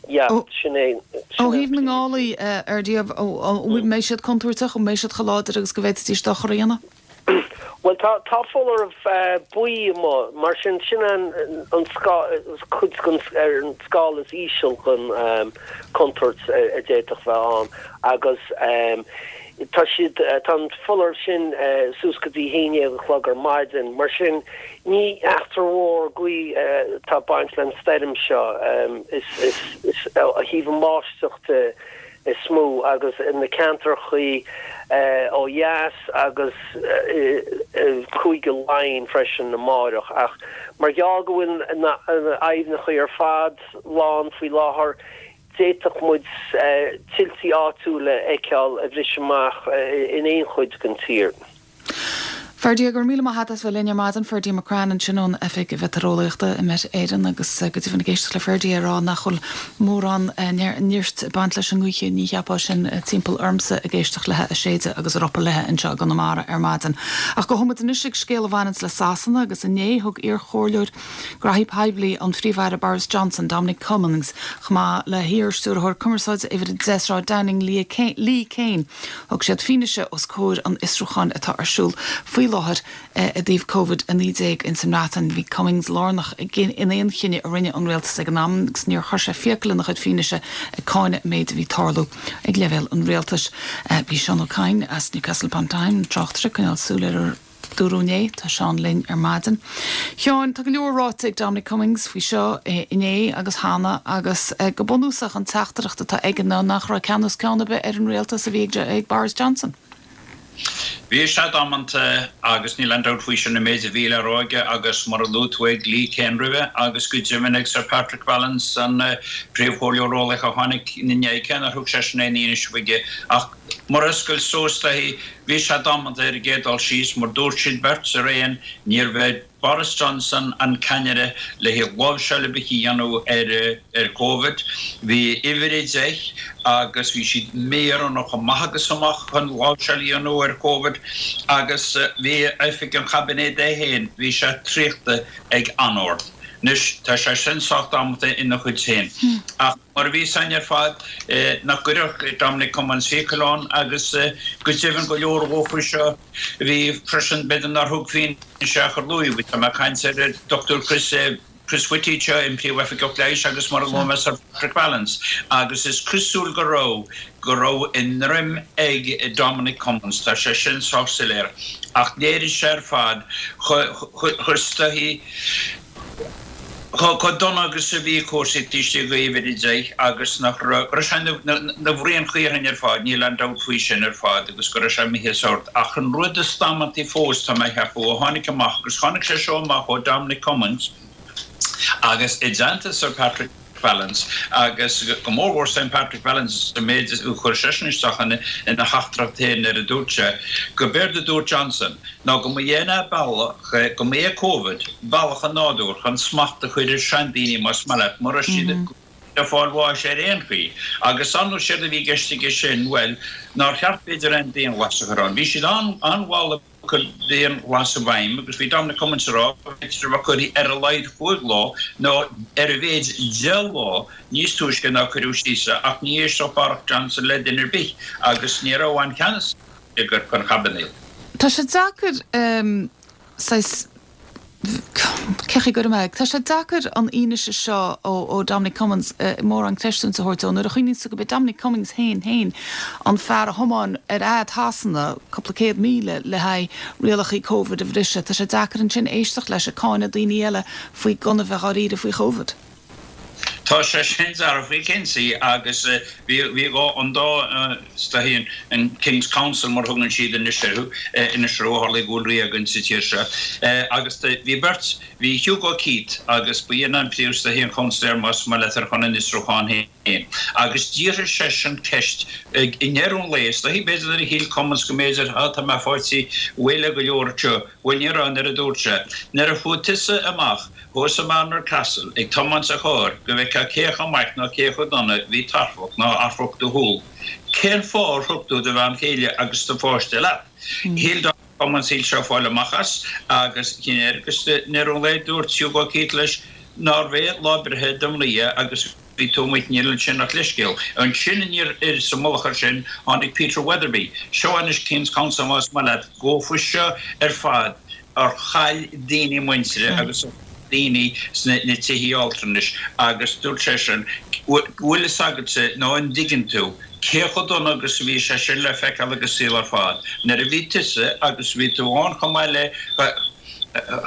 Yeah, sin é. Ó thaobh na ngálaí, a Fherdia, an mbeidh siad contúirteach, an mbeidh siad chomh láidir agus go bhféadfaidís dochar a dhéanamh? Bhuel, tá, tá foláireamh buí amuigh, mar sin, sin an, an cuid den, ar an scála is íseal den chontúirt a d'fhéadfadh bheith ann agus tá siad, tá an foláireamh sin suas go dtí haon dhéag a chlog ar maidin, mar sin, Ní eachtra mhór gaoth atá ag baint leis an stoirm seo. Is ó thaobh an bháisteach de is mó agus na ceantrachaí ó dheas agus i Cúige Laighean freisin amáireach. Ach mar gheall go bhfuil na aibhneacha ar fad lán faoi láthair, d'fhéadfadh muid tuiltí áitiúla a fheiceáil ag briseadh amach in aon chuid den tír. Ferdia, go raibh míle maith agat as bheith linn ar maidin. Ferdia McCrann ansin ón Oifig Mheitéareolaíochta i Met Éireann agus go deimhin ag éisteacht le Ferdia ag rá nach bhfuil mórán nirt ag baint leis an ngaoth, ní cheapfá sin timpeall ormsa ag éisteacht léi ag séideadh agus ag ropadh léi anseo i gConamara ar maidin. Ach gabhfaidh muid anois ag scéal a bhaineanns le Sasana agus inné thug iar-chomhairleoir Graithí Poiblí an Phríomh-Aire Boris Johnson, Dominic Cummings, chomh maith le hiar-Stiúrthóir Cumarsáide Uimhir 10 Sráid Downing, Lee Cain. Thug siad fianaise os comhair an fhiosrúcháin atá ar siúl faoi. láthair i dtaobh Covid-19 ins an mBreatain. Bhí Cummings lárnach in aon chinneadh a rinne an rialtas ag an am agus níor chuir sé fiacail ina chuid fianaise ag cáineadh an méid a bhí ag tarlú ag leibhéal an rialtais. Bhí Seán Ó Cadhain as Newcastle upon Tyne, an tráchtaire, ag coinneáil súil ar ar dúradh inné. Tá Seán linn ar maidin. Sheáin, tá go leor ráite ag Dominic Cummings faoi seo inné agus cheana agus go bunúsach an teachtaireacht atá aige ná nach raibh ceannas ceann ar bith ar an rialtas a bhí ag Boris Johnson. Bhí sé damanta agus níl aon dabht faoi sin an méid a bhí le rá aige agus mar a luaigh tú ag Lee Cain roimhe agus go deimhin ag Sir Patrick Vallance an príomhchomhairleoir eolaíoch a tháinig ina ndiaidh cé nár thug seisean aon fhianaise chuige ach mar oscailt suas léi bhí sé damanta ar an gcéad dul síos mar dúirt siad beirt araon níorbh é Boris Johnson an ceannaire le haghaidh láimhseáil ar bith a dhéanamh ar Covid. Bhí uimhir 10 agus bhí siad míroghnach chomh maith agus amach chun láimhseáil a dhéanamh ar Covid agus bhí oifig an chaibinéid é féin, bhí sé traochta ag anord. Anois tá sé sin sách damanta ina chuid féin. Ach mar a bhí san ar fad, nach gcuirfeadh Dominic Cummings fiacail ann agus go deimhin go leor faoi seo, Bhí freisin, b'fhéidir nár thug fianaise ach ar luaigh, bhí, tá mé ag caint ar an Dr Chris, Chris Whitty anseo, an Príomhoifigeach Leighis agus mar a luaigh mé Sir Patrick Vallance agus is cosúil go raibh, go raibh a ndroim ag Dominic Cummings, tá sé sin sách soiléir ach léirigh sé ar fad chomh, chomh, is dóichí, Chomh dona agus a bhí cúrsaí taobh istigh d'uimhir 10 agus nach raibh, go raibh sé ina bhraon chaorthainn ar fad, níl aon dabht faoi sin ar fad agus go raibh sé imithe as ord. Ach an rud is damantaí fós, tá mé a cheapadh, a tháinig amach, agus tháinig sé seo amach ó Dominic Cummings agus i dteannta Sir Patrick Vallance agus go mór mhór Sir Patrick Vallance an méid a chuir seisean isteach ina theachtaireacht féin nuair a dúirt sé go b'éard a dúirt Johnson ná go mba é an bealach, go mba é Covid bealach an nádúir chun smacht a chur ar seandaoine más maith leat, mura raibh siad ag fáil bháis ar aon chaoi. Agus ar ndóigh séard a bhí i gceist aige sin, bhuel, nár cheart b'fhéidir aon dianghlas a chur ann. Bhí siad an-mhall ag cur dianghlas i bhfeidhm agus bhí Dominic Cummings ag rá go mb'fhéidir a bheith curtha ar a laghad chúig lá nó ar a mhéid 10 lá níos túisce ná cuireadh síos é ach ní éistfeadh Boris Johnson le duine ar bith agus ní raibh aon cheannas ag an chaibinéad. Tá sé deacair saghas, cén chaoi a gcuirfidh mé é, tá sé deacair an fhianaise seo ó Dominic Cummings mórán creistiúint a thabhairt dó nuair a chuimhníonns tú go b'é Dominic Cummings féin féin an fear a thiomáin ar fhad Shasana cúpla 100,000 le haghaidh rialachaí Covid a bhriseadh. Tá sé deacair ansin éisteacht leis ag cáineadh daoine eile faoi gan a bheith dháiríre faoi Chovid. Tá sé sin dearfa cinnte agus bhí bhí dhá an dá is dóichí an King's Counsel mar a thugann siad anois orthu anois ó tharla go bhfuil rí againn sa tír seo agus bhí beirt bhí Hugo Keith agus ba é an príomh is dóichí an counselor más maith leat ar chun an fhiosrúcháin féin agus d'fhiafraigh seisean ceist i ndeireadh an lae is dóichí b'fhéidir nuair a shíl Cummings go mb'fhéidir á tá mé faighte réidh le go leor anseo bhuel ní raibh nuair a dúirt sé nuair a chuaigh tusa amach Thuas i Barnard Castle, ag tiomáint sa charr, go bhfeicfeá cé chomh maith nó cé chomh dona bhí tarrthacht ná amharc do shúl. Cén fáth ar thug tú do bhean chéile agus do pháiste leat? Shíl Dominic Cummings shíl sé fáil amach as agus chinn air agus i ndeireadh an lae dúirt Hugo Keith leis nárbh é lá breithe do mhnaoi agus bhí tú amuigh níl ansin ach leithscéal. Ansin aniar air sa mullach air sin tháinig Peter Weatherby. Seo anois King's Counsel más maith leat. Go faoi seo ar fad ar chaill daoine muintire agus ar chaill daoine sna tithí altranais agus dúirt seisean, bhfuil fhios agatsa nó an dtuigeann tú cé chomh dona agus a bhí sé sin le feiceáil ag an saol ar fad nuair a bhí tusa agus bhí tú ann chomh maith le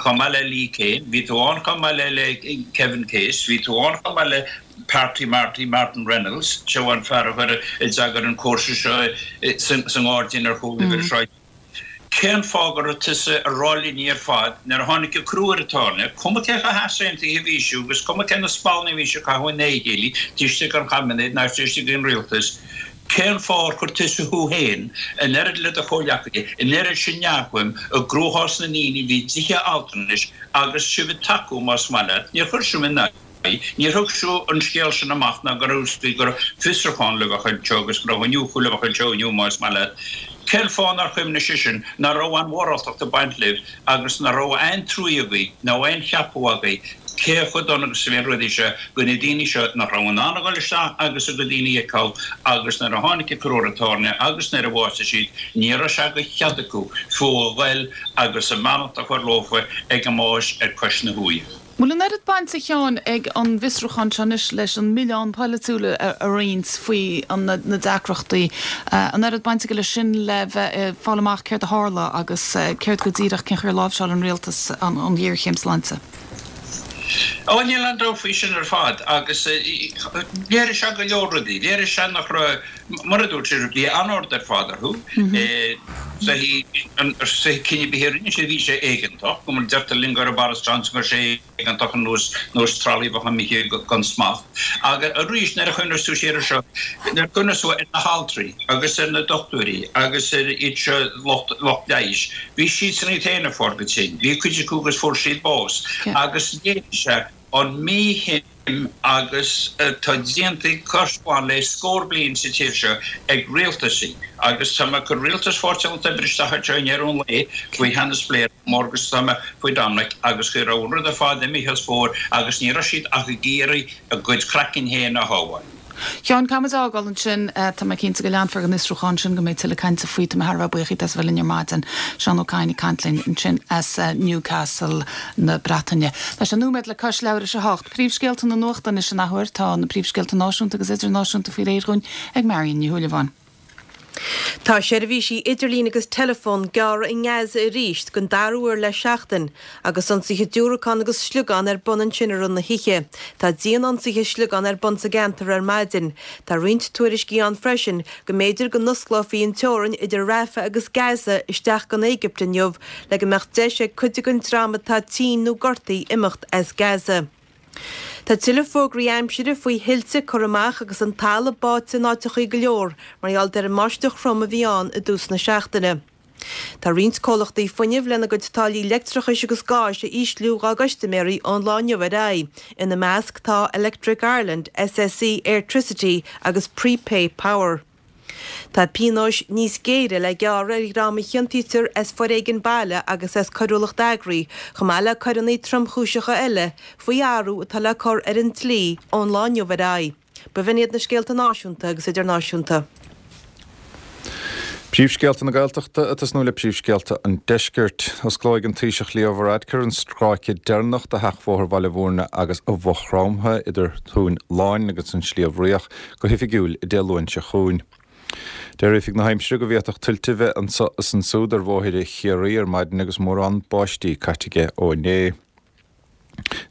chomh maith le Lee Cain, bhí tú ann chomh maith le le Kevin Case, bhí tú ann chomh maith le Party Marty Martin Reynolds, seo an fear a chuir a d'eagair an cúrsa seo sa ngairdín ar chúl uimhir a Cén fáth go raibh tusa ag rá linne ar fad nuair a tháinig an crú ar an tairne, cuma cé chomh heasaontaithe a bhí sibh agus cuma cé na spallanna a bhí sibh ag caitheamh ina chéile taobh istigh den chaibinéad ná taobh istigh den rialtas, cén fáth ar chuir tusa thú féin, an oiread le do chomhghleacaithe, an oiread sin neamhshuim i gcruachás na ndaoine a bhí i dtithe altranais agus sibh ag tacú más maith leat, níor chuir sibh in aghaidh. Níor thug sibh an scéal sin amach ná go raibh go raibh fiosrúchán le bheith anseo agus go raibh iniúchadh le bheith anseo inniu más maith leat. Cén fáth nár chuimhnigh seisean nach raibh aon mhoráltacht ag baint libh agus nach raibh aon truaí agaibh nó aon cheapadh agaibh? cé chomh dona agus a bhí na rudaí seo go na daoine seo nach raibh in ann a dhul isteach agus a gcuid daoine a fheiceáil agus nuair a tháinig an cur ar an tairne agus nuair a bhásaigh siad ní raibh sé de chead acu fiú a ghoil agus a mbeannacht a chur leofa ag a mbáis ar cois na huaighe. Bhfuil an oiread baint, a Sheáin, ag an bhfiosrúchán seo anois leis an milleán polaitiúil a roinnt faoi na deacrachtaí? An oiread baint aige leis sin le bheith ag fáil amach céard a tharla agus céard go díreach, cén chaoi ar láimhseáil an rialtas an ghéarchéim sláinte? Ó, níl aon dabht faoi sin ar fad agus léirigh sé go leor rudaí. Léirigh sé nach raibh, mar a dúirt sibh, bhí anord ar fad orthu. Cinneadh ar bith a rinne siad, bhí sé éigeantach, go mar deirtear linn go raibh Boris Johnson go raibh sé éigeantach ar nós nós tralaí a bheadh imithe gan smacht. Agus arís nuair a chuimhneos tú siar ar seo, nuair a chuimhneos tú ar na haltraí agus ar na dochtúirí agus ar iad seo lucht lucht leighis, bhí siadsan iad féin ag fáil go tinn, bhí cuid acu agus fuair siad bás agus léirigh sé an mhí-shuim agus atá déanta cois bhain le scór bliain sa tír seo ag rialtaisí agus tá mé ag cur rialtas Pháirtí an Lucht Oibre isteach anseo i ndeireadh an lae faoi theannas Blair mór agus tá mé faoi Dominic agus go raibh an rud ar fad imithe as spóir agus ní raibh siad ach ag iarraidh a gcuid craicinn féin a shábháil. Sheáin, caithfidh muid a fhágáil ansin. Tá mé cinnte go leanfar den fhiosrúchán sin, go mbeidh tuilleadh cainte faoi. Tá mé thar a bheith buíoch díot as a bheith linn ar maidin. Seán Ó Cadhain ag caint linn ansin as Newcastle na Breataine. Tá sé nóiméad le cois leathuair tar éis a hocht. Príomhscéalta na nuachta anois an athuair. Tá na príomhscéalta náisiúnta agus idirnáisiúnta faoi réir dhúinn ag Marion Ní Shúilleabháin. Tá seirbhísí idirlín agus teileafóin gearrtha i nGaza arís den dara huair le seachtain, agus ionsaithe diúracán agus sliogán ar bun ansin i rith na hoíche. Tá dian-ionsaithe sliogán ar bun sa gceantar ar maidin. Tá roinnt tuairiscí ann freisin go mb'fhéidir go n-osclófaí an teorainn idir Rafah agus Gaza isteach gon Éigipt inniu le go mbeadh deis ag cuid den dream atá tinn nó gortaithe imeacht as Gaza. Tá tuilleadh fógraí aimsire faoi thuilte curtha amach agus an talamh báite in áiteachaí go leor mar gheall ar an mbáisteach throm a bhí ann i dtús na seachtaine. Tá roinnt comhlachtaí fuinnimh lena gcuid táillí leictreachais agus gáis a ísliú dhá gcustaiméirí ón lá inniu ar aghaidh. Ina measc tá Electric Ireland, SSE Airtricity agus Prepay Power. Tá pionóis níos géire le gearradh ar dhream a chiontaítear as foréigean baile agus as coiriúlacht eagraithe, chomh maith le coireanna tromchúiseacha eile, faoi athrú atá le cur ar an dlí ón lá inniu ar aghaidh. B'in iad na scéalta náisiúnta agus idirnáisiúnta. Príomhscéalta na Gaeltachta ag tosnú le príomhscéalta an Deiscirt. Osclóidh an Taoiseach Leo Varadkar an stráice deireanach de sheachbhóthar Bhaile Bhúirne agus Mhaigh Chromtha idir Tóin Láin agus an Sliabh Riach go hoifigiúil Dé Luain seo chugainn. Deir Oifig na hAimsire go bhféadfadh tuilte a bheith anso is ansúd ar bhóithre Chiarraí ar maidin agus mórán báistí caite aige ó inné.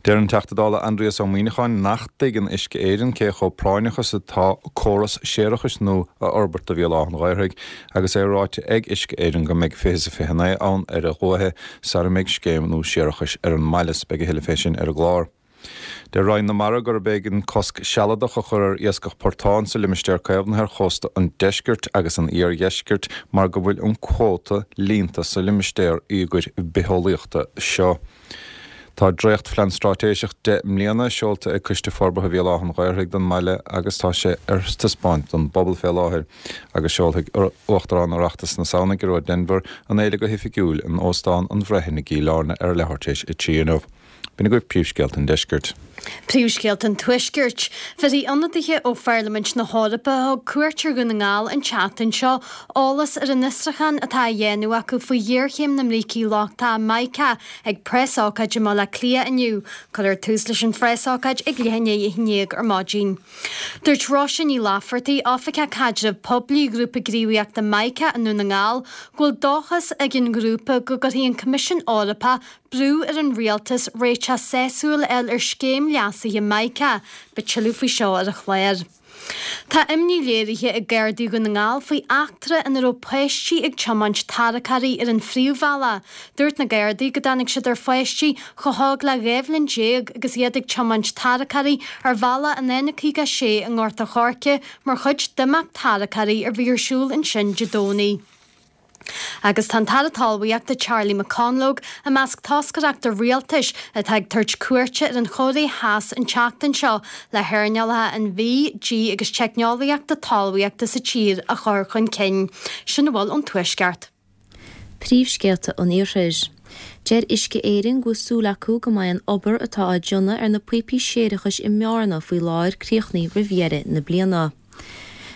Deir an Teachta Dála Aindrias Ó Muíneacháin nach dtuigeann Uisce Éireann cé chomh práinneach is atá córas séarachais nua a fhorbairt do Bhéal Átha an Ghaorthaidh agus é ráite ag Uisce Éireann go mbeidh 2029 ann ar a luaithe sara mbeidh scéim nua séarachais ar an mbaile. Beidh a thuilleadh fé sin ar an gclár. Deir Roinn na Mara gurb éigean cosc sealadach a chur ar iascach portán sa limistéar caomhnaithe ar chósta an deiscirt agus an iardheiscirt mar go bhfuil an cuóta líonta sa limistéar íogair bitheolaíochta seo. Tá dréachtphlean straitéiseach 10 mbliana seolta ag Coiste Forbartha Bhéal Átha an Ghaorthaidh don mbaile agus tá sé ar taispeáint don bpobal fé láthair agus seolfaidh Uachtarán Oireachtas na Samhna, Gearóid Denvir, an fhéile go hoifigiúil in Óstán an Bhreithin i gCill Airne ar a leathuair tar éis a 3 inniu. B'in agaibh príomhscéalta an deiscirt. Príomhscéalta an Tuaiscirt. Bhéarfaidh ionadaithe ó Pharlaimint na hEorpa a thug cuairt ar Dhún na nGall an tseachtain seo eolas ar an fhiosrúchán atá á dhéanamh acu faoi ghéarchéim na mbrící lochtacha mica ag preasócáid i mBaile Átha Cliath inniu. Cuirfear tús leis an phreasócáid ag leath i ndiaidh a haon déag ar maidin. Dúirt Róise Ní Laifeartaigh, Oifigeach Caidrimh Poiblí Ghrúpa Gníomhaíochta Mica i nDún na nGall, go bhfuil dóchas ag an ngrúpa go gcuirfidh an Coimisiún Eorpach brú ar an rialtas réiteach sásúil a fháil ar scéim leasaithe Mica. Beidh tuilleadh faoi seo ar an chlár. Tá imní léirithe ag Gardaí Dhún na nGall faoi eachtra ina raibh páistí ag tiomáint tarracóirí ar an phríomhbhealach. Dúirt na Gardaí go dtáinig siad ar pháistí chomh hóg le 12 bhliain agus iad ag tiomáint tarracóirí ar bhealach an N56 i nGort a' Choirce mar chuid d'imeacht tarracóirí a bhí ar siúl ansin Dé Domhnaigh. Agus tá an tAire Talmhaíochta Charlie McConalogue i measc toscaireachta rialtais atá ag tabhairt cuairte ar an Chóiré Theas an tseachtain seo le hearnálacha an bhídh, dí agus teicneolaíochta talmhaíochta sa tír a chur chun cinn. Sin a bhfuil ón Tuaisceart. Príomhscéalta an Iarthair. Deir Uisce Éireann go bhfuil súil acu go mbeidh an obair atá á déanamh ar na píopaí séarachais i mBearna faoi láthair críochnaithe roimh dheireadh na bliana.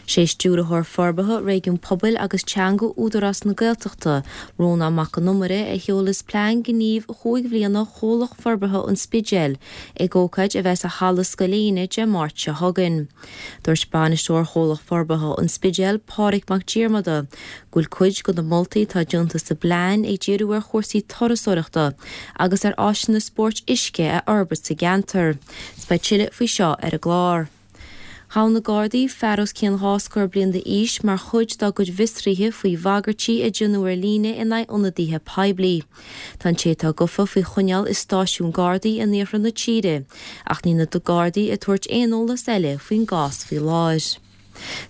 Sé Stiúrthóir Forbartha Réigiún Pobail agus Teanga Údarás na Gaeltachta, Rónán Mac Con Iomaire, a sheolfas plean gnímh chúig bhliana Chomhlacht Forbartha an Spidéil ag ócáid a bheas i Halla Scoil Éinne Dé Máirt seo chugainn. Dúirt Bainisteoir Chomhlacht Forbartha an Spidéil, Pádraig Mac Diarmada, go bhfuil cuid de na moltaí atá déanta sa bplean ag díriú ar chúrsaí turasóireachta agus ar áiseanna spóirt uisce a fhorbairt sa gceantar. 'S beidh tuilleadh faoi seo ar an gclár. Ghabh na Gardaí fear os cionn dhá scór bliain d'aois mar chuid dá gcuid bhfiosruithe faoi bhagairtí a déanadh ar líne in aghaidh ionadaithe poiblí. Tá an té atá gafa faoi choinneáil i stáisiún Gardaí in iarthar na tíre ach níl na Gardaí ag tabhairt aon eolas eile faoin gcás faoi láthair.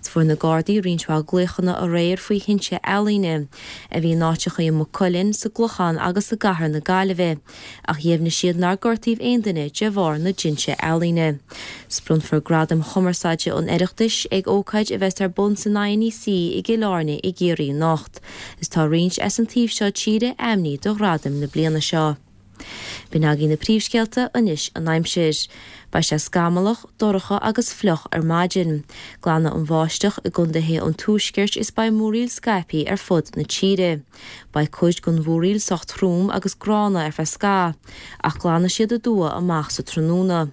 Fuair na Gardaí roinnt mhaith glaochanna aréir faoi thinte ealaíne, a bhí in áiteacha i Maigh Cuilinn, sa gClochán agus i gcathair na Gaillimhe, ach dheimhnigh siad nár gortaíodh aon duine de bharr na dtinte ealaíne. 'S bronnfar Gradaim Chumarsáide an Oireachtais ag ócáid a bheas ar bun san INEC i gCill Airne i gCiarraí anocht. Is tá roinnt as an taobh seo tíre ainmnithe do ghradaim na bliana seo. B'in agaibh na príomhscéalta, anois an aimsir. Beidh sé scamallach, dorcha agus fliuch ar maidin. Glanfaidh an bháisteach i gcontaetha an tuaiscirt is beidh múraíl scaipthe ar fud na tíre. Beidh cuid den mhúraíl sách trom agus gránna ar feadh scaitheamh, ach glanfaidh siad aduaidh amach sa tráthnóna.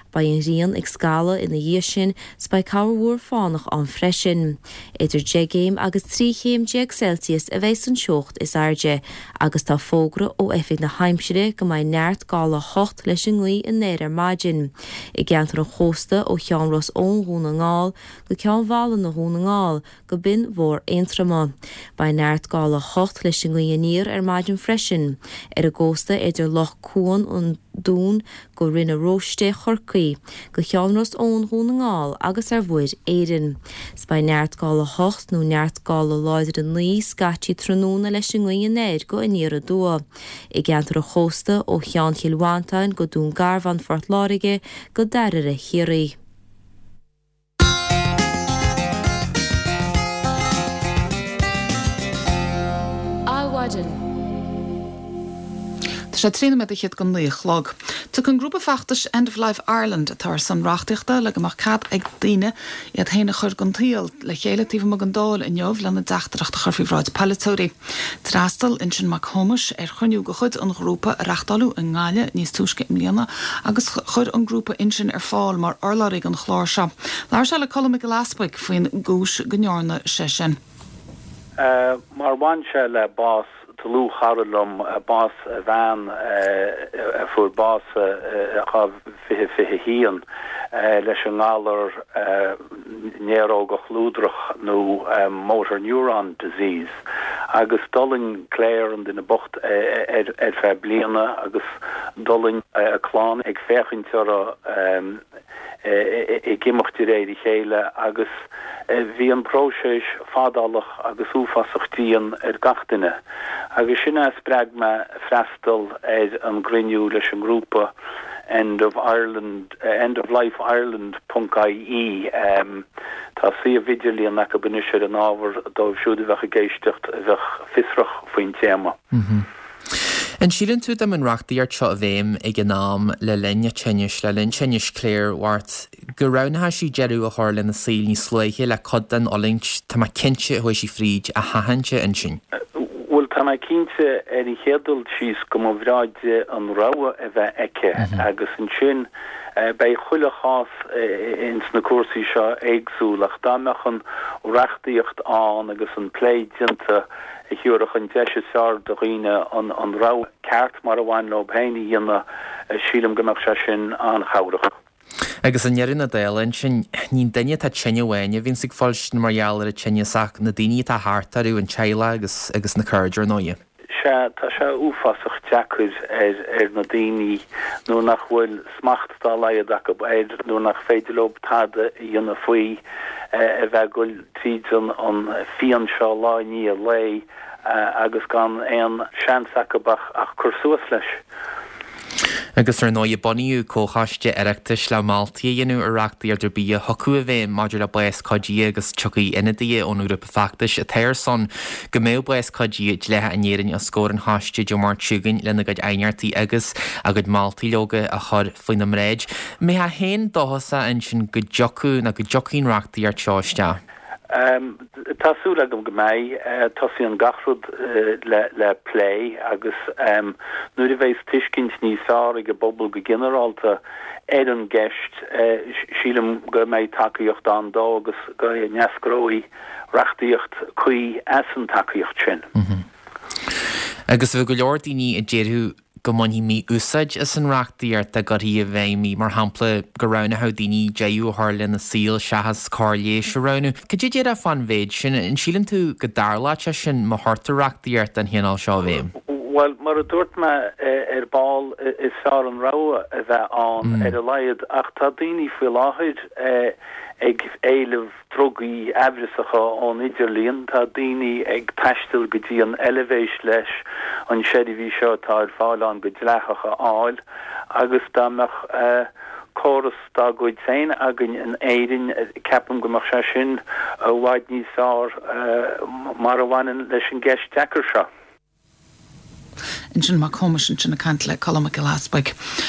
Beidh an ghrian ag scaladh ina dhiaidh sin 's beidh corrmhúr fánach ann freisin. Idir 10 gcéim agus 13 chéim Celsius a bheidh san teocht is airde agus tá fógra ó Oifig na hAimsire go mbeidh neart gála 8 leis an ngaoth anoir ar maidin i gceantar an chósta ó Cheann Ros Eoin Dhún na nGall go Ceann Mhálanna Dhún na nGall go Binn Mhór Aontroma. Beidh neart gála 8 leis an ngaoth aniar ar maidin freisin ar an gcósta idir Loch Cuan an Dúin go Rinn na Róiste Chorcaí, go Ceann Ros Eoin Dhún na nGall agus ar Mhuir Éireann. 'S beidh neart gála 8 nó neart gála láidir 9 scaití tráthnóna leis an ngaoth anoir go aniar aduaidh i gceantar an chósta ó Cheann Chill Mhantáin go Dún Garbhán Phort Láirge go Dairbhre Chiarraí. Adhmhaidin. Tá sé 13 nóiméad go 9 a chlog. Tiocfaidh an grúpa feachtais End of Life Ireland, atá ar son reachtaíochta le go mbeadh cead ag daoine iad féin a chur den tsaol, le chéile taobh amuigh den Dáil inniu lena dteachtaireacht a chur faoi bhráid polaiteoirí. D'fhreastail Uinsionn Mac Thomáis ar chruinniú de chuid an ghrúpa a reachtáileadh i nGaillimh níos túisce i mbliana agus chuir an grúpa Uinsionn ar fáil mar urlabhraí don chlár seo. Labhair sé le Colm Mac Giolla Easbuig faoin gcúis go ndearna sé sin. Mar bhain sé le bás dlúthchara liom, bás a bhean a fuair bás i 2021 leis an ngalar néarógach luadrach nó motor neuron disease agus d'fhulaing Claire, an duine bocht, ar feadh bliana agus d'fhulaing a clann ag féachaint orthu ag imeacht de réir a chéile agus bhí an próiseas fadálach agus uafásach dian ar gach duine agus sin a spreag mé freastal ar an gcruinniú leis an ngrúpa End of Ireland, End of Life Ireland ponc ie. Tá suíomh idirlíon acu anois ar an ábhar dóibh siúd a bheadh ag éisteacht a bheadh fiosrach faoin téama. An síleann tú dá mbeadh an reachtaíocht seo i bhfeidhm ag an am le linn a tinnis, le linn tinnis Claire Mhairt, go roghnódh sí deireadh a chur lena saol níos luaithe le cuid den fhulaingt, tá mé cinnte, a chuaigh sí fríd, a sheachaint, a Uinsionn? Bhuel, tá mé cinnte ar an chéad dul síos go mba bhreá di an rogha a bheith aici agus ansin beidh chuile chás ins na cúrsaí seo éagsúil ach dá mbeadh an reachtaíocht ann agus an plé déanta a thabharfadh an deis is fearr do dhaoine an rogha ceart mar a bhain leo féin a dhéanamh, sílim go mbeadh sé sin an-chabhrach. Agus i ndeireadh na dála ansin, ní an duine atá tinn amháin a bhíonns ag fuilstin mar gheall ar an tinneas ach na daoine atá thart orthu, an teaghlach agus agus na cairde ar ndóighe. Sea, tá sé uafásach deacair ar ar na daoine nuair nach bhfuil smacht dá laghad acu air, nuair nach féidir leo tada a dhéanamh faoi, a bheith ag goil tríd an an phian seo lá i ndiaidh lae agus gan aon seans acu ach ach cur suas leis. Agus ar ndóigh, bunaíodh comhchoiste Oireachtais le moltaí a dhéanamh ar reachtaíocht ar bith a thiocfadh i bhfeidhm maidir le bás cuidithe agus tiocfaidh ionadaithe ón ngrúpa feachtais atá ar son go mbeadh bás cuidithe dleathach in Éirinn os comhair an choiste Dé Máirt seo chugainn lena gcuid aighneachtaí agus a gcuid moltaí leoga a chur faoina mbráid. An mbeifeá féin dóchasach ansin go dtiocfadh nó go dtiocfaidh an reachtaíocht seo isteach? Tá súil agam go mbeidh. Tosaíonn gach rud le plé agus nuair a bheas tuiscint níos fearr ag an bpobal go ginearálta ar an gceist, sílim go mbeidh tacaíocht ann dó agus go n-eascróidh reachtaíocht cuí as an tacaíocht sin. Agus bheadh go leor daoine a déarfadh go mbainfí mí-úsáid as an reachtaíocht dá gcuirfí i bhfeidhm í, mar shampla, go roghnódh daoine deireadh a chur lena saol seachas cóir leighis a roghnú. Cad é a déarfá fán mhéid sin? An síleann tú go dtarlódh sé sin má chuirtear reachtaíocht den chineál seo i bhfeidhm? Bhuel, mar a dúirt mé ar ball, is fearr an rogha a bheith ann ar a laghad, ach tá daoine faoi láthair ag éileamh drugaí aimhreasacha ón idirlíon. Tá daoine ag taisteal go dtí an Eilvéis leis an seirbhís seo atá ar fáil ann go dleathach a fháil agus dá mbeadh córas dá gcuid féin againn in Éirinn ceapaim go mbeadh sé sin i bhfad níos fearr mar a bhaineann leis an gceist deacair seo. Ansin Mac Thómais ansin ag caint le Colm Mac Giolla Easbuig.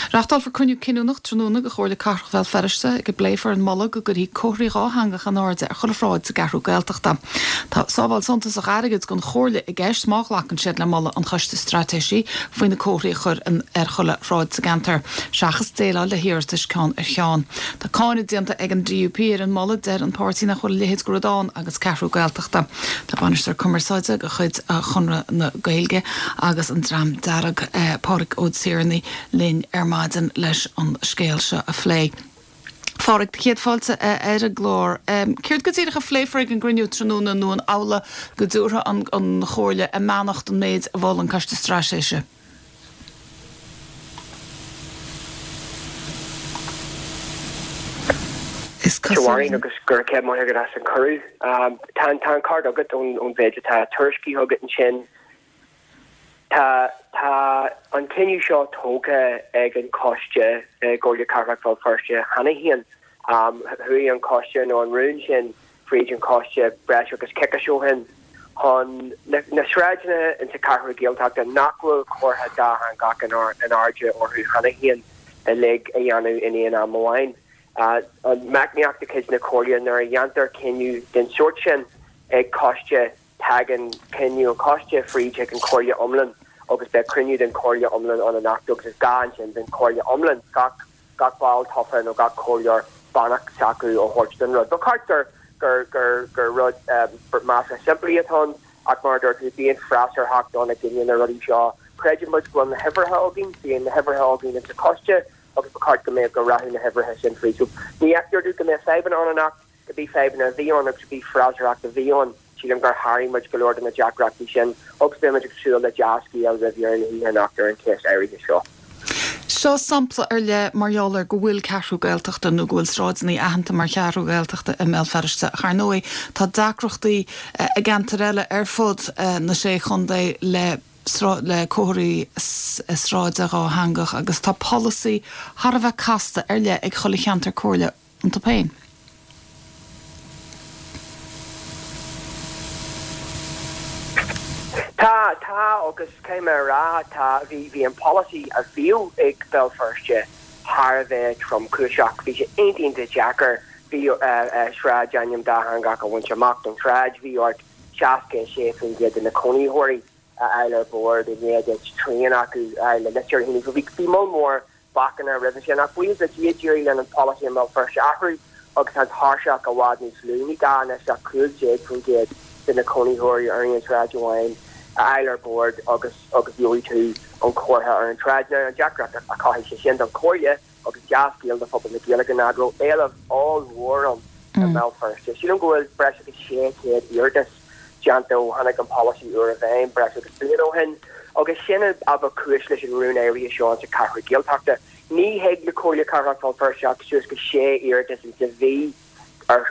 Reáchtálfar cruinniú cinniúnach tráthnóna de Chomhairle Cathrach Bhéal Feirste ag a bpléifear an moladh go gcuirfí comharthaí dhátheangacha in airde ar chuile shráid sa gCeathrú Gaeltachta. Tá sábháil suntasach airgid don Chomhairle i gceist má ghlacann siad le moladh an Choiste Straitéisí faoi na comharthaí a chur ar chuile shráid sa gceantar, seachas déileáil le hiarratais ceann ar cheann. Tá cáineadh déanta ag an DUP ar an moladh, deir an páirtí nach bhfuil a leithéid de rud ann agus Ceathrú Gaeltachta. Tá bainisteoir cumarsáide de chuid Chonradh na Gaeilge agus an Dream Dearg, Pádraig Ó Tiarnaigh, linn ar maidin leis an scéal seo a phlé. Phádraig, do chéad fáilte ar an gclár. Céard go díreach a phléifear ag an gcruinniú tráthnóna nó an amhlaidh go dtabharfaidh an Chomhairle a mbeannacht don méid a mhol an Coiste Straitéise? Is cosúil. Mháirín, agus go raibh maith agat as an cuireadh. Tá an ceart agat ón mhéid atá tuairiscithe agat ansin. Tá tá an cinneadh seo tógtha ag an choiste i gComhairle Cathrach Bhéal Feirste cheana féin. Chuaigh an coiste nó an rún sin fríd an choiste breis agus coicís ó shin chun na sráideanna insa Cheathrú Gaeltachta nach bhfuil comhartha dátheangach in airde orthu cheana féin uilig a dhéanamh in aon am amháin. An meicníocht de chuid na Comhairle nuair a dhéantar cinneadh den sórt sin ag coiste tagann cinneadh an choiste fríd chuig an Chomhairle iomlán agus beidh cruinniú den Chomhairle iomlán ann anocht agus is gá ansin don Chomhairle iomlán gach gach ball tofa nó gach comhairleoir beannacht s'acu a thabhairt don rud. Ba cheart gur gur gur gur rud measartha simplí atá ann ach mar a dúirt tú, bíonn freasúrthacht ann i gcoinne na rudaí seo. Creideann muid go bhfuil na huimhreacha againn, bíonn na huimhreacha againn insa choiste agus ba cheart go mbeadh go rachadh na huimhreacha sin fríd. So ní fheictear domh go mbeadh fadhbanna ann anocht. Cibé fadhbanna a bhí ann agus cibé freasúrthacht a bhí ann, sílim gur sháraigh muid go leor de na deacrachtaí sin agus beidh muid ag súil le dea-scéal roimh dheireadh na hoíche anocht ar an cheist áirithe seo. Seo sampla ar leith mar gheall ar go bhfuil Ceathrú Gaeltachta nó go bhfuil sráideanna aitheanta mar Cheathrú Ghaeltachta i mBéal Feirste ach ar ndóigh tá deacrachtaí i gceantair eile ar fud na Sé Chontae le le comharthaí sráide dhátheangach agus tá polasaí thar a bheith casta ar leith ag chuile cheantar comhairle iontu féin. Tá, tá agus caithfidh mé a rá, tá, bhí, bhí an polasaí a bhíodh ag Béal Feirste thar a bheith tromchúiseach. Bhí sé iontach, iontach deacair, bhí sráidainm dátheangach a bhaint amach don tsráid, bhí ort 66% de na cónaitheoirí a fháil ar bord i ndiaidh duit trian acu a fháil le litir a shíniú. So bhí, bhí moll mór bacanna roimhe sin. Ach buíochas le Dia, d'éirigh linn an polasaí i mBéal Feirste a athrú agus tá an tairseach i bhfad níos lú. Ní gá anois ach 15% de na cónaitheoirí ar aon tsráid amháin a fháil ar bord agus agus gheobhaidh tú an comhartha ar an tsráid. Now an deacracht a chothaigh sé sin don Chomhairle agus dea-scéal do phobal na Gaeilge ná go raibh éileamh ollmhór ann i mBéal Feirste. Sílim go bhfuil breis agus 600 iarratas déanta ó tháinig an polasaí úr i bhfeidhm breis agus bliain ó shin agus sin a ba chúis leis an rún áirithe seo insa Cheathrú Gaeltachta. Ní thig le Comhairle Cathrach Bhéal Feirste ach suas go sé iarratas insa mhí ar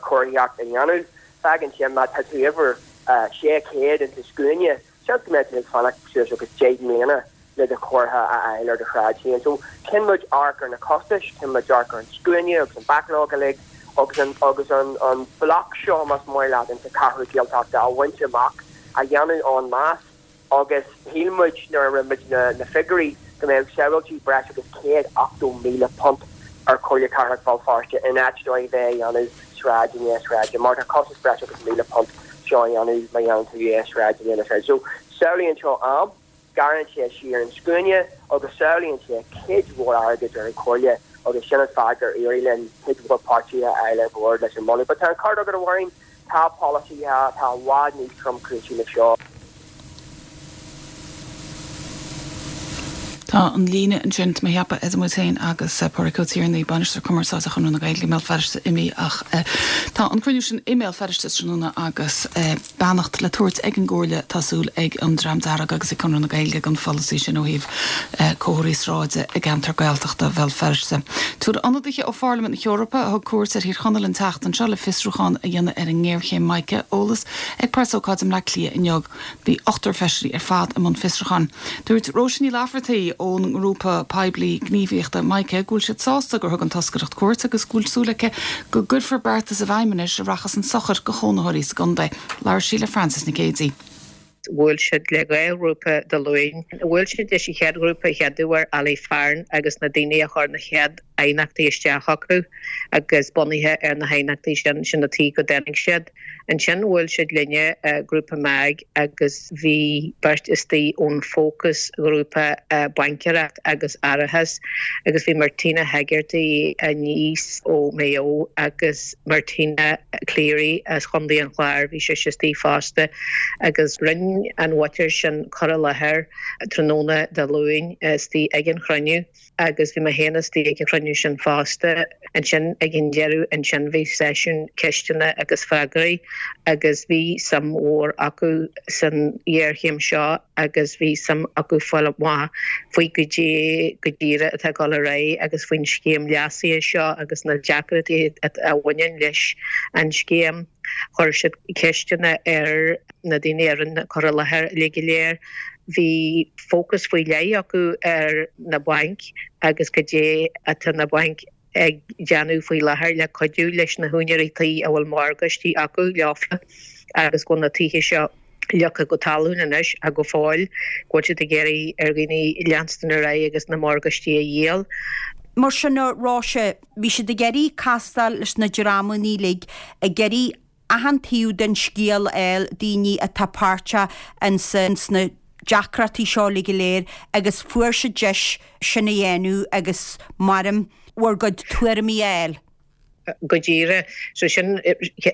chomharthaíocht a dhéanamh. Fágann sin má tá tú uimhir 600 insa scuaine, seans go mbeidh tú ag fanacht suas agus 10 mbliana. le do chomhartha a fháil ar do shráid féin. So chinn muid amharc ar na costais, chinn muid amharc ar an scuaine agus an backlog uilig agus an agus an an bloc seo más maith leat insa cheathrú Gaeltachta a bhaint amach, a dhéanamh en masse agus shíl muid nuair a rinne muid na na figiúirí go mbeadh sábháiltí breis agus £180,000 ar Chomhairle Cathrach Bhéal Feirste in áit dóibh bheith a dhéanamh sráid i ndiaidh sráide mar tá costas breis agus £1,000 seo a dhéanamh má dhéanann tú é sráid i ndiaidh na sráide. So sábhálann seo am. Gearrann sé siar an scuaine agus sábhálann sé cuid mhór airgid ar an Chomhairle agus sin an fáth gur éirigh linn cuid mhór páirtithe a fháil ar bord leis an moladh. But tá an ceart agat a Mháirín, tá polasaithe atá i bhfad níos tromchúisí ná seo. Tá an líne ansin, tá mé a cheapadh, idir muid féin agus Pádraig Ó Tiarnaigh, Bainisteoir Cumarsáide Chonradh na Gaeilge i mBéal Feirste imithe ach tá an cruinniú sin i mBéal Feirste tráthnóna agus beannacht le tabhairt ag an gComhairle, tá súil ag an Dream Dearg agus ag Conradh na Gaeilge don pholasaí sin ó thaobh comharthaí sráide i gceantar Gaeltachta Bhéal Feirste. Tabharfaidh ionadaithe ó Pharlaimint na hEorpa, a thug cuairt ar Thír Chonaill an tseachtain seo le fiosrúchán a dhéanamh ar an ngéarchéim mica, eolas ag preasócáid i mBleá Cliath inniu. Bhí ochtar feisirí ar fad i mbun fiosrúcháin. Dúirt Róise Ní Laifeartaigh ón ngrúpa poiblí gníomhaíochta Mica go bhfuil siad sásta gur thug an toscaireacht cuairt agus go bhfuil súil aici go gcuirfear beartas i bhfeidhm anois a rachas chun sochair do chónaitheoirí sa gcontae. Labhair sí le Frances Nic Géadaigh. Bhuail siad le 2 ghrúpa Dé Luain. Bhuail siad leis an chéad ghrúpa, an chéad uair, Ali Fearn agus na daoine a chuir na chéad aighneachtaí isteach acu agus bunaithe ar na haighneachtaí sin, sin an tuige go dtáinig siad. Ansin bhuail siad linne, Grúpa MAG, agus bhí beirt istigh ón Fócas Ghrúpa Baincéireacht agus Árachas agus bhí Martina Hegarty aníos ó Maigh Eo agus Martina Cleary as Chontae an Chláir, bhí sise istigh fosta agus rinne an mhuintir sin cur i láthair tráthnóna Dé Luain istigh ag an chruinniú. agus bhí mé féin istigh ag an chruinniú sin fosta. Ansin ag an deireadh ansin bhí seisiún ceisteanna agus freagraí agus bhí suim mhór acu san ghéarchéim seo agus bhí suim acu fáil amach faoi goidé go díreach atá ag dul ar aghaidh agus faoin scéim leasaithe seo agus na deacrachtaí a bhaineann leis an scéim. Chuir siad ceisteanna ar na daoine a rinne cur i láthair uilig go léir. Bhí fócas faoi leith acu ar na bainc agus goidé atá na bainc ag déanamh faoi láthair le cuidiú leis na húinéirí tí a bhfuil morgáistí acu leofa agus go bhfuil na tithe seo leagtha go talún anois ach go fóill go bhfuil siad ag iarraidh ar dhaoine leanstan ar aghaidh agus na morgáistí a dhíol. Mar sin a Róise, bhí siad ag iarraidh castáil leis na dreamanna uilig, ag iarraidh achan taobh den scéal a fháil, daoine atá páirteach ins na deacrachtaí seo uilig go léir agus fuair siad deis sin a dhéanamh agus maram bhur gcuid tuairimí a fháil. Go díreach. So sin,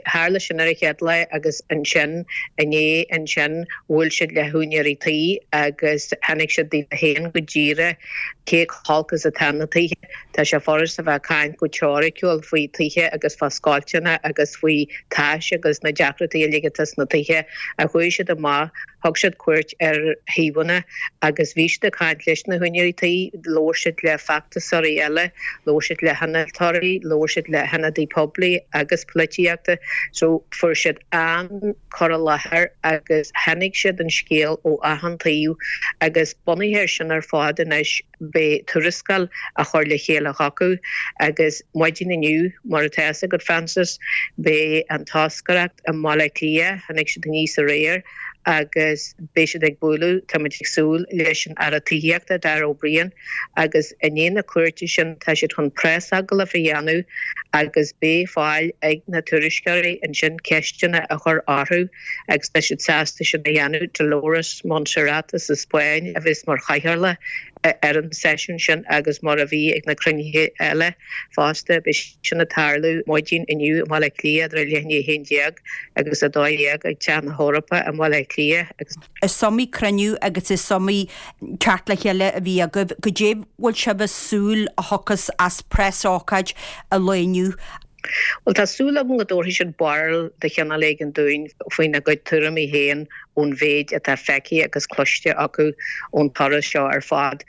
tharla sin ar an chéad lá agus ansin inné ansin bhuail siad le húinéirí tí agus tháinig siad daofa féin go díreach cé chomh holc is atá na tithe. Tá sé furast a bheith ag caint go teoiriciúil faoi tithe agus fá scoilteanna agus faoi tais agus na deacrachtaí uilig atá sna tithe ach chuaigh siad amach, thug siad cuairt ar shuíomhanna agus bhí siad ag caint leis na húinéirí tí, labhair siad le feachtasóirí eile, labhair siad le hinnealtóirí, labhair siad le hionadaí poiblí agus polaitíochta so fuair siad an cur i láthair agus chonaic siad an scéal ó achan taobh agus bunaithe ar sin ar fad anois Beidh tuarascáil á chur le chéile acu agus maidin inniu, mar atá fhios agat Frances, beidh an toscaireacht i mBaile Átha Cliath, tháinig siad aníos aréir agus beidh siad ag bualadh, táimid ag súil, leis an Aire Tithíochta, Darragh O'Brien agus i ndiaidh na cuairte sin tá siad chun preasagallamh a dhéanamh agus beidh fáil ag na tuairisceoirí ansin ceisteanna a chur orthu. agus tá siad sásta sin a dhéanamh. Dolores Montserrat as an Spáinn a bheas mar chathaoirleach ar an seisiún sin agus mar a bhí ag na cruinnithe eile fosta. Beidh sin ag tarlú maidin inniu i mBaile Átha Cliath idir leath i ndiaidh 11 agus 12 ag Teach na hEorpa i mBaile Átha Cliath agus. Is iomaí cruinniú agus is iomaí teacht le chéile a bhí agaibh. Goidé bhfuil sibh ag súil a thiocfas as preasócáid an lae inniu? Bhuel, tá súil agam go dtabharfaidh siad barúil de chineál éigin dúinn faoina gcuid tuairimí féin ón mhéid atá feicthe agus cloiste acu ón turas seo ar fad.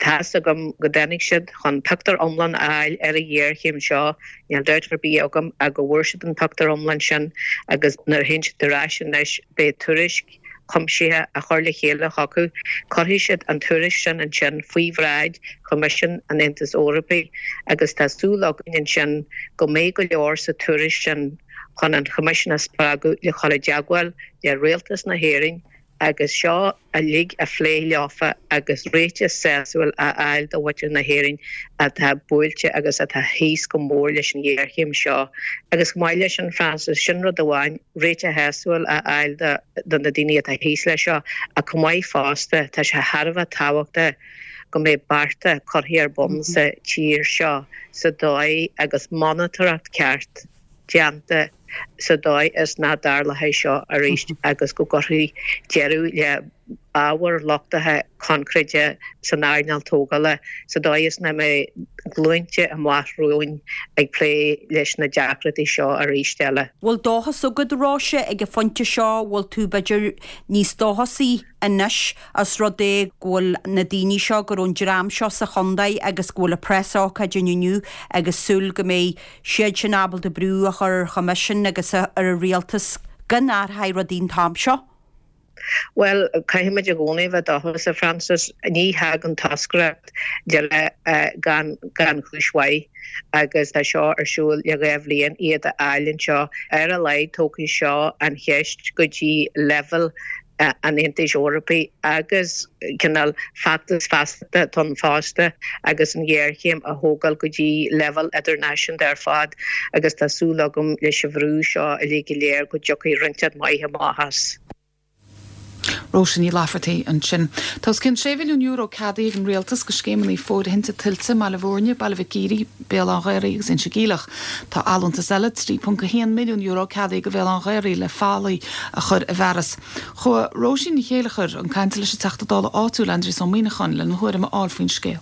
Tá's agam go dtáinig siad chun pictiúr iomlán a fháil ar an ghéarchéim seo, níl dabht ar bith agam ach go bhfuair siad an pictiúr iomlán sin agus nuair a théann siad ar ais anois beidh tuairisc. chuimsitheach a chur le chéile chucu. Cuirfidh siad an tuairisc sin ansin faoi bhráid Choimisiún an Aontais Eorpaigh agus tá súil againn ansin go mbeidh go leor sa tuairisc sin chun an Choimisiún a spreagadh le chur i dteagmháil le Rialtas na hÉireann agus seo uilig a phlé leofa agus réiteach sásúil a fháil do mhuintir na hÉireann atá buailte agus atá thíos go mór leis an ghéarchéim seo. Agus chomh maith leis sin, Frances, sin rud amháin, réiteach sásúil a fháil do na daoine atá thíos leis seo, ach chomh maith fosta, tá sé thar a bheith tábhachtach go mbeidh bearta curtha ar bun sa tír seo sa dóigh agus monatóireacht ceart déanta sa dóigh is nach dtarlóidh seo arís agus go gcuirfí deireadh le ábhair lochtacha coincréite san earnáil tógála sa dóigh is nach mbeidh glúinte amach romhainn ag plé leis na deacrachtaí seo arís eile. Bhfuil dóchas agat, a Róise, ag an phointe seo, bhfuil tú b'fhéidir níos dóchasaí anois os rud é go bhfuil na daoine seo, go raibh an dream seo sa chontae agus go bhfuil an preasócáid ann inniu agus súil go mbeidh siad sin ábalta brú a chur ar Choimisiún agus ar an Rialtas go n-athróidh rudaí an t-am seo? Bhuel, caithfimid i gcónaí a bheith dóchasach, Frances. Ní thagann toscaireacht de gan gan chúis mhaith agus tá seo ar siúl le 2 bhliain, iad a fháil anseo. Ar a laghad tógfaidh seo an cheist go dtí leibhéal an Aontais Eorpaigh agus cineál feachtas feasachta atá ann fosta agus an ghéarchéim a thógáil go dtí leibhéal idirnáisiúnta ar fad agus tá súil agam leis an bhrú seo uilig go léir go dtiocfaidh rud maith amach as. Róise Ní Laifeartaigh ansin. Tá os cionn €6 mhilliún ceadaithe ag an Rialtas do scéimeanna fóirithinte tuilte i mBaile Bhúirne, Baile Mhic Íre, Béal Átha an Ghaorthaidh agus Inse Geimhleach. Tá allúntas eile, €3.1 milliún, ceadaithe do Bhéal Átha an Ghaorthaidh le fallaí a chur i bhfearas. Chuaigh Róisín Ní Chéilleachair chun cainte leis an Teachta Dála áitiúil, Aindrias Ó Muimhneacháin, lena thuairim a fháil faoin scéal.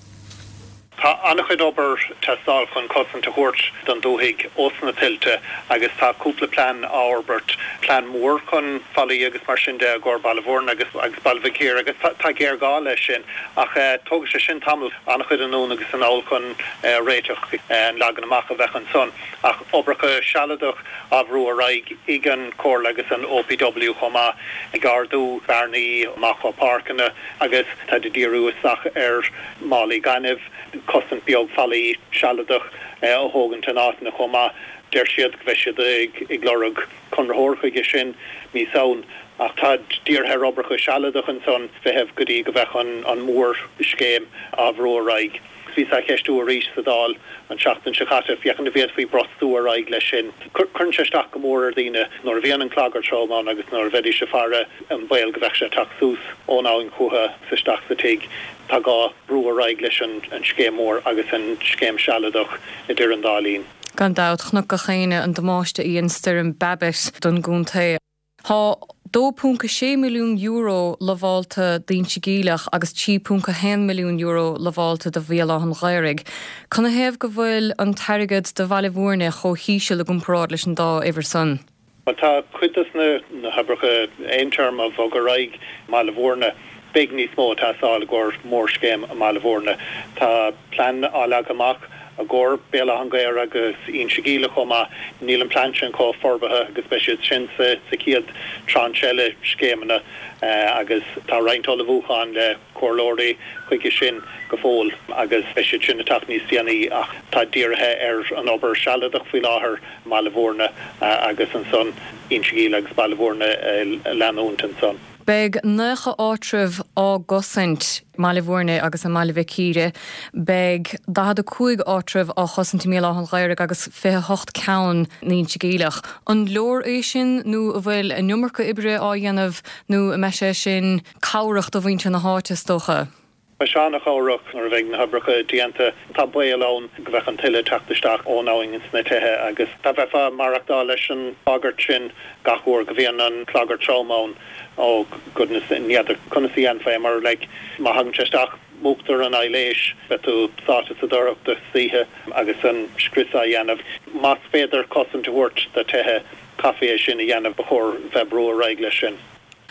Tá an-chuid obair teastáil chun cosaint a thabhairt don dúthaigh ós na tuilte agus tá cúpla plean á fhorbairt, plean mór chun fallaí agus mar sin de i gcomhair Baile Bhúirne agus agus Baile Mhic Íre agus tá géarghá leis sin ach tógfaidh sé sin tamall, an-chuid anonn agus anall chun réiteach an leagan amach a bheadh ansan ach oibreacha sealadach á bhrú ar aghaidh ag an Chomhairle agus an OPW chomh maith, ag ardú bearnaí amach ó pháirceanna agus táid ag díriú isteach ar mhálaí gainimh, cosaint beag fallaí sealadach a thógaint in áiteanna chomh maith. Deir siad go mbeidh siad ag lorg conraitheoir chuige sin mí Samhain ach táid dírithe ar oibreacha sealadach ansan feitheamh go dtí go bheadh an mhór-scéim á bhrú ar aghaidh. Bhí sé á cheistiú arís sa Dáil an tseachtain seo caite féachaint an bhféadfaí brostú ar aghaidh leis sin. Cuireann sé isteach go mór ar dhaoine nuair a bhíonn an clagar trom ann agus nuair a bheidís ag faire an baol go bheadh sé ag teacht suas ón abhainn chucu is isteach sa tigh. Tá gá brú ar aghaidh leis an scéim mhór agus an scéim sealadach idir an dá linn. Gan dabht, chonac gach éinne an damáiste a dhein stoirm Babet don gcontae. Tá €2.6 milliún lamhálta d'Inse Geimhleach agus €3.1 milliún lamhálta do Bhéal Átha an Ghaorthaidh. Canathaobh go bhfuil an t-airgead do Bhaile Bhúirne chomh híseal i gcomparáid leis an dá uimhir san? Bhuel, tá cuid dos na hoibreacha aontéarma á bhogadh ar aghaidh i mBaile Bhúirne. Beidh níos mó ag teastáil i gcomhair mórscéim i mBaile Bhúirne. Tá plean á leagadh amach i gcomhair Béal Átha an Ghaorthaidh agus Inse Geimhleach chomh maith. Níl an plean sin chomh forbartha agus beidh siad sin sa chéad tranche eile scéimeanna agus tá roinnt ullmhúcháin le comhairleoirí chuige sin go fóill agus beidh siad sin ag teacht níos déanaí ach tá dírithe ar an obair sealadach faoi láthair i mBaile Bhúirne agus ansan Inse Geimhleach agus Baile Bhúirne a leanúint ansan. Beidh 90 áitreabh á gcosaint i mBaile Bhúirne agus i mBaile Mhic Íre. Beidh 45 áitreabh á chosaint i mBéal Átha an Ghaorthaidh agus 28 ceann in Inse Geimhleach. An leor é sin nó an bhfuil an iomarca oibre á dhéanamh nó an mbeidh sé sin cabhrach do mhuintir na háite is dócha? Beidh sé an-chabhrach nuair a bheidh na hoibreacha déanta. Tá baol ann go bheadh an tuile ag teacht isteach ón abhainn ins na tithe agus dá mbeifeá ag maireachtáil leis an bhagairt sin gach uair go bhíonn an clagar trom ann, oh goodness, n'fheadar conas a dhéanfá é mar like má thagann sé isteach, múchtar an aibhléis, beidh tú sáite sa dorchadas istoíche agus an scrios á dhéanamh. Más féidir cosaint a thabhairt do tithe, caithfí é sin a dhéanamh, ba chóir bheith ag brú ar aghaidh leis sin.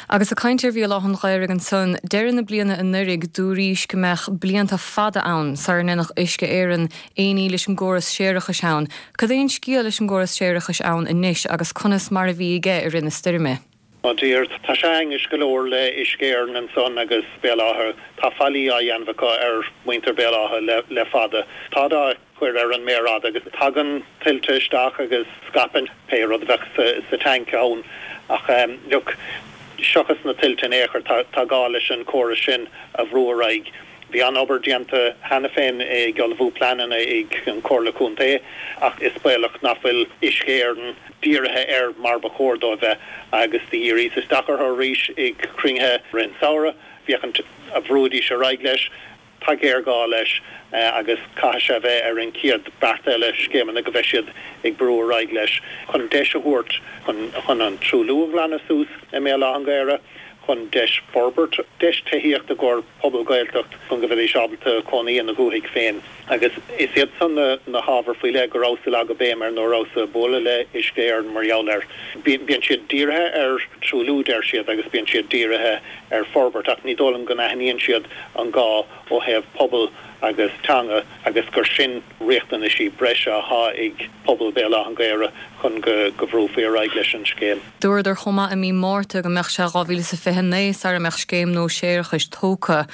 Agus ag caint ar Bhéal Átha an Ghaorthaidh ansan, deireadh na bliana anuraidh dúraís go mbeadh blianta fada ann sara ndéanfadh Uisce Éireann aon ní leis an gcóras séarachais ann. Cad é an scéal leis an gcóras séarachais ann anois agus conas mar a bhí aige i rith na stoirme? Oh dear, tá sé ainnis go leor le Uisce Éireann ansan agus Béal Átha. Tá faillí á dhéanamh acu ar mhuintir Béal Átha le fada. Táid á cur ar an méar fhada agus tagann tuilte isteach agus scaipeann pé rud a bheadh sa tanc ann. Ach look, seachas na tuilte in aon chor, tá gá leis an córas sin a bhrú ar aghaidh. Bhí an-obair déanta cheana féin ag ullmhú pleananna ag an Chomhairle Contae ach is baolach nach bhfuil Uisce Éireann dírithe air mar ba chóir dó a bheith agus do dhíríos isteach orthu arís ag cruinnithe i rith an samhradh féachaint an bhrúidís ar aghaidh leis. Tá géarghá leis agus caithfidh sé a bheith ar an chéad beart eile scéimeanna go mbeidh siad ag brú ar aghaidh leis chun deis a thabhairt chun an truailliú a ghlanadh suas i mBéal Átha an Ghaorthaidh. chun deis forbairt, deis tithíocht i gcomhair pobal Gaeltacht chun go bhfeidís ábalta cónaí ina dhúthaigh féin. Agus is iad san na hábhair faoi leith go rabhas ag leagadh béim air nuair a rabhas ag bualadh le Uisce Éireann mar gheall air. Bíonn siad dírithe ar truailliú, deir siad, agus bíonn siad dírithe ar forbairt ach ní dóigh liom go n-aithníonn siad an gá ó thaobh pobal agus teanga agus gur sin riachtanaisí breise athá ag pobal Béal Átha an Ghaorthaidh chun go bhrúfaí ar aghaidh leis an scéim. Dúradar chomh maith i mí Márta go mbeadh sé 2029 sara mbeadh scéim nua séarachais tógtha.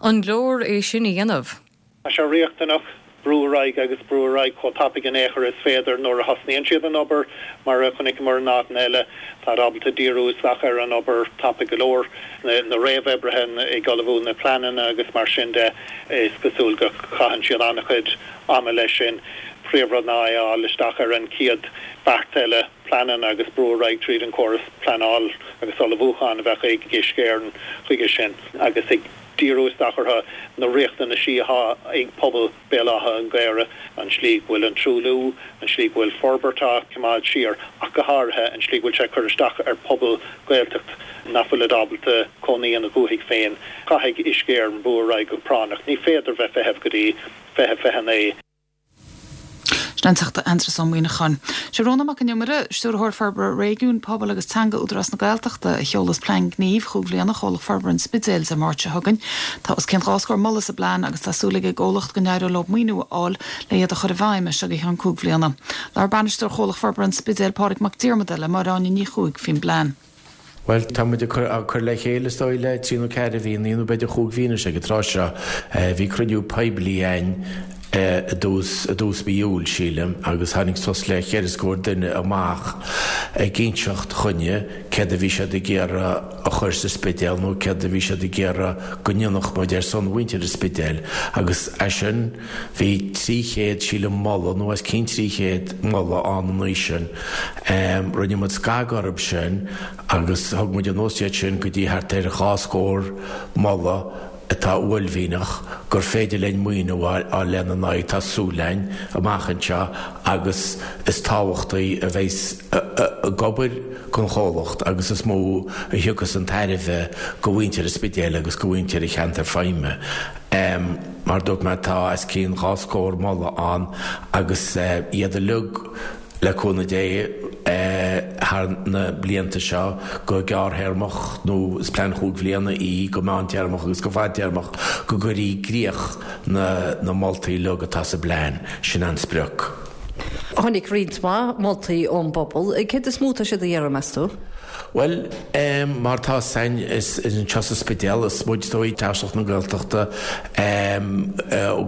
An leor é sin a dhéanamh? Tá sé riachtanach brú ar aghaidh agus brú ar aghaidh chomh tapaidh in aon chor is féidir nuair a thosnaíonn siad an obair. Mar a chonaiceamar in áiteanna eile, táid ábalta díriú isteach ar an obair tapaidh go leor. Na réamhoibrithe ag ullmhú na pleananna agus mar sin de, is cosúil go gcaitheann siad an-chuid ama leis sin. Príomhrud ná é a fháil isteach ar an chéad bheart eile. pleananna agus brú ar aghaidh tríd an córas pleanáil agus ullmhúcháin a bheadh ag Uisce Éireann chuige sin agus ag díriú isteach orthu na riachtanaisí athá ag pobal Béal Átha an Ghaorthaidh, an slí go bhfuil an truailliú, an slí go bhfuil forbairt á coimeád siar ach go háirithe an slí go bhfuil sé ag cur isteach ar pobal Gaeltacht nach bhfuilid ábalta cónaí ina dhúthaigh féin. Caithfidh Uisce Éireann brú ar aghaidh go práinneach. Ní féidir bheith feitheamh go dtí 2029. Sin an Teachta Aindrias Ó Muimhneacháin. Sé Rónán Mac Con Iomaire, Stiúrthóir Forbartha Réigiúin, Pobail agus Teanga Údarás na Gaeltachta, a sheolas Plean Gnímh chúig bhliana Chomhlacht Forbartha an Spidéil Dé Máirt seo chugainn. Tá os cionn 20 scór moladh sa bplean agus tá súil ag an gcomhlacht go n-éireoidh leo maoiniú a fháil le iad a chur i bhfeidhm as seo go ceann cúig bhliana. Labhair Bainisteoir Chomhlacht Forbartha an Spidéil, Pádraig Mac Diarmada, le Máire Áine Ní Chuaig faoin bplean. Bhuel, tá muid ag cur le chéile, is dóigh, le trí nó ceathair mhí, nó b'fhéidir chúig mhí anois ag an tráth seo. Bhí cruinniú poiblí againn i dtús, i dtús mhí Iúil, sílim, agus tháinig suas le cheithre scór duine amach ag inseacht chugainne céard a bhí siad ag iarraidh a chur sa Spidéal nó céard a bhí siad ag iarraidh go ndéanfadh muid ar son mhuintir an Spidéil agus as sin bhí 300, sílim, moladh, nó os cionn 300 moladh ann an oíche sin. Rinne muid scagadh orthu sin agus thug muid anuas iad sin go dtí thart ar dhá scór moladh atá uaillmhianach gur féidir linn maoiniú a fháil lena n-aghaidh, tá súil againn, amach anseo agus is tábhachtaí a bheas ag obair don chomhlacht agus is mó a thiocfas an tairbhe go mhuintir an Spidéil agus go mhuintir an cheantair feidhme. Mar a dúirt mé, tá os cionn dhá scór moladh ann agus iad uilig, Le cúnamh Dé, thar na blianta seo, go gearrthéarmach, nó is plean chúig bhliana í, go meántéarmach agus go fadtéarmach, go gcuirfí i gcrích na moltaí uilig atá sa bplean. Sin an sprioc. Tháinig roinnt mhaith moltaí ón bpobal. Céard is mó atá siad a iarraidh, meas tú? Bhuel, mar atá 'fhios a'inn, is anseo sa Spidéal, is muid is dóigh Taoiseach na Gaeltachta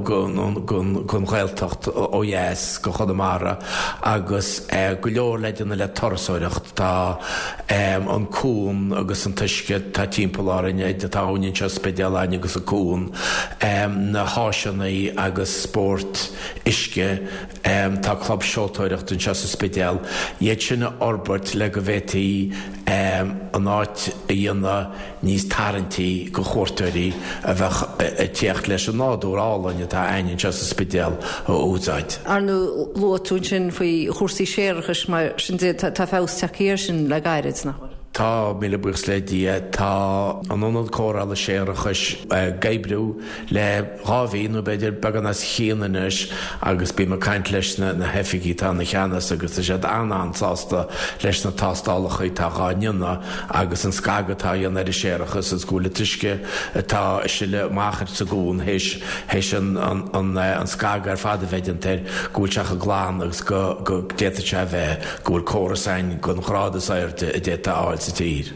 gon Ghaeltacht ó dheas go Chonamara agus go leor le déanamh le turasóireacht. Tá an cuan agus an t-uisce atá timpeall orainn, tá abhainn anseo sa Spidéal a'inn agus an cuan, na háiseanna agus spórt uisce, Tá club seoltóireachta anseo sa Spidéal, iad sin a fhorbairt le go bhféadfaí an áit a dhéanamh níos tarraingtí go chuairteoirí a bheadh ag tíocht leis an nádúr álainn atá a'inn anseo sa Spidéal a úsáid. Ar ndóigh, luaigh tú ansin faoi chúrsaí séarachais mar sin de, tá feabhas tagtha air sin le gairid, nach bhfuil? Tá, míle buíochas le Dia. Tá an Ionad Cóireála Séarachais ag oibriú le 2 mhí nó b'fhéidir beagán os a chionn anois agus bím ag caint leis na hoifigigh atá ina cheannas agus tá siad an-an-sásta leis na tástálacha atá dhá ndéanamh agus an scagadh atá á dhéanamh ar an séarachas agus go bhfuil an t-uisce atá ag sileadh amach sa gcuan théis théis an an scagadh ar fad a bheith déanta air go bhfuil sé chomh glan agus go go d'fhéadfadh sé a bheith, go bhfuil córas a'inn den ghrád is airde a d'fhéadfá a fháil sa. sa tír.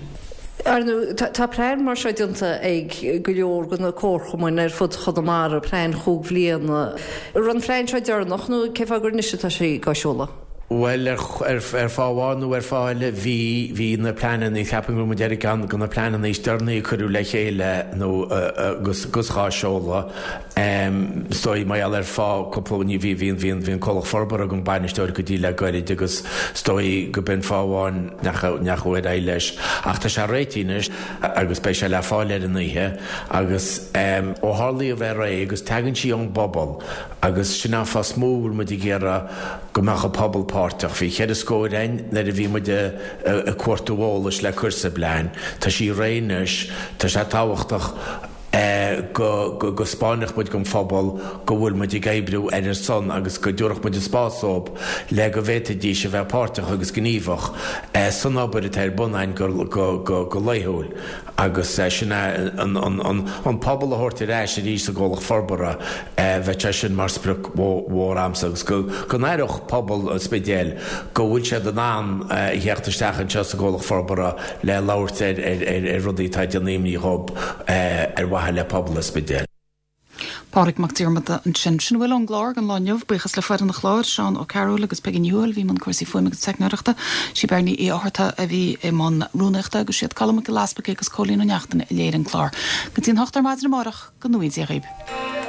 Ar ndóigh, tá plean mar seo déanta ag go leor de na comharchumainn ar fud Chonamara, plean chúig bhliana. An raibh an plean seo deireanach nó cén fáth gur anois atá sé dhá sheoladh? Bhuel, ar fáth amháin nó ar fáth eile, bhí, bhí na pleananna, ceapaim go raibh muid ar cheann de na pleananna is deireanaí a cuireadh le chéile nó agus dhá seoladh. Is dóigh, mar gheall ar fáth cúpla ní, bhí, bhí, bhí, bhí an Comhlacht Forbartha gan bainisteoir go dtí le goirid agus is dóigh go b'in fáth amháin nach ndeachaigh ar aghaidh leis. Ach tá sé réitithe anois agus beidh sé le fáil ar an oíche agus ó tharla í a bheith réidh agus tagann sí ón bpobal agus sin an fáth is mó a bhfuil muid ag iarraidh go mbeadh an pobal páirteach. Bhí cheithre scór againn nuair a bhí muid ag cuartú eolais le cur sa bplean. Tá sí réidh anois, tá sé tábhachtach. go go 'spáinfeadh muid don phobal go bhfuil muid ag oibriú ar a son agus go dtabharfadh muid an spás dóibh le go bhféadfaidís a bheith páirteach agus gníomhach san obair atá ar bun againn go laethúil agus sin é an pobal a thabhairt ar ais arís sa gComhlacht Forbartha bheadh sé sin mar sprioc mhór a'msa agus go go n-aireodh pobal an Spidéil go bhfuil siad in ann a theacht isteach anseo sa gComhlacht Forbartha le labhairt ar rudaí atá ag déanamh imní dhób ar mhaithe le pobal an Spidéil. Pádraig Mac Diarmada ansin. Sin a bhfuil ón gclár don lá inniu. Buíochas le foireann an chláir, Seán Ó Cearúil agus Peigí Ní Thuathail a bhí i mbun cúrsaí fuaime agus teicneoireachta. Sí Beirní Uí Fhátharta a bhí i mbun rúnaíochta agus siad Colm Mac Giolla Easpaig agus Cóilín Ó Neachtain a léirigh an clár. Go dtí an hocht ar maidin amárach, go ngnóthaí Dia dhaoib.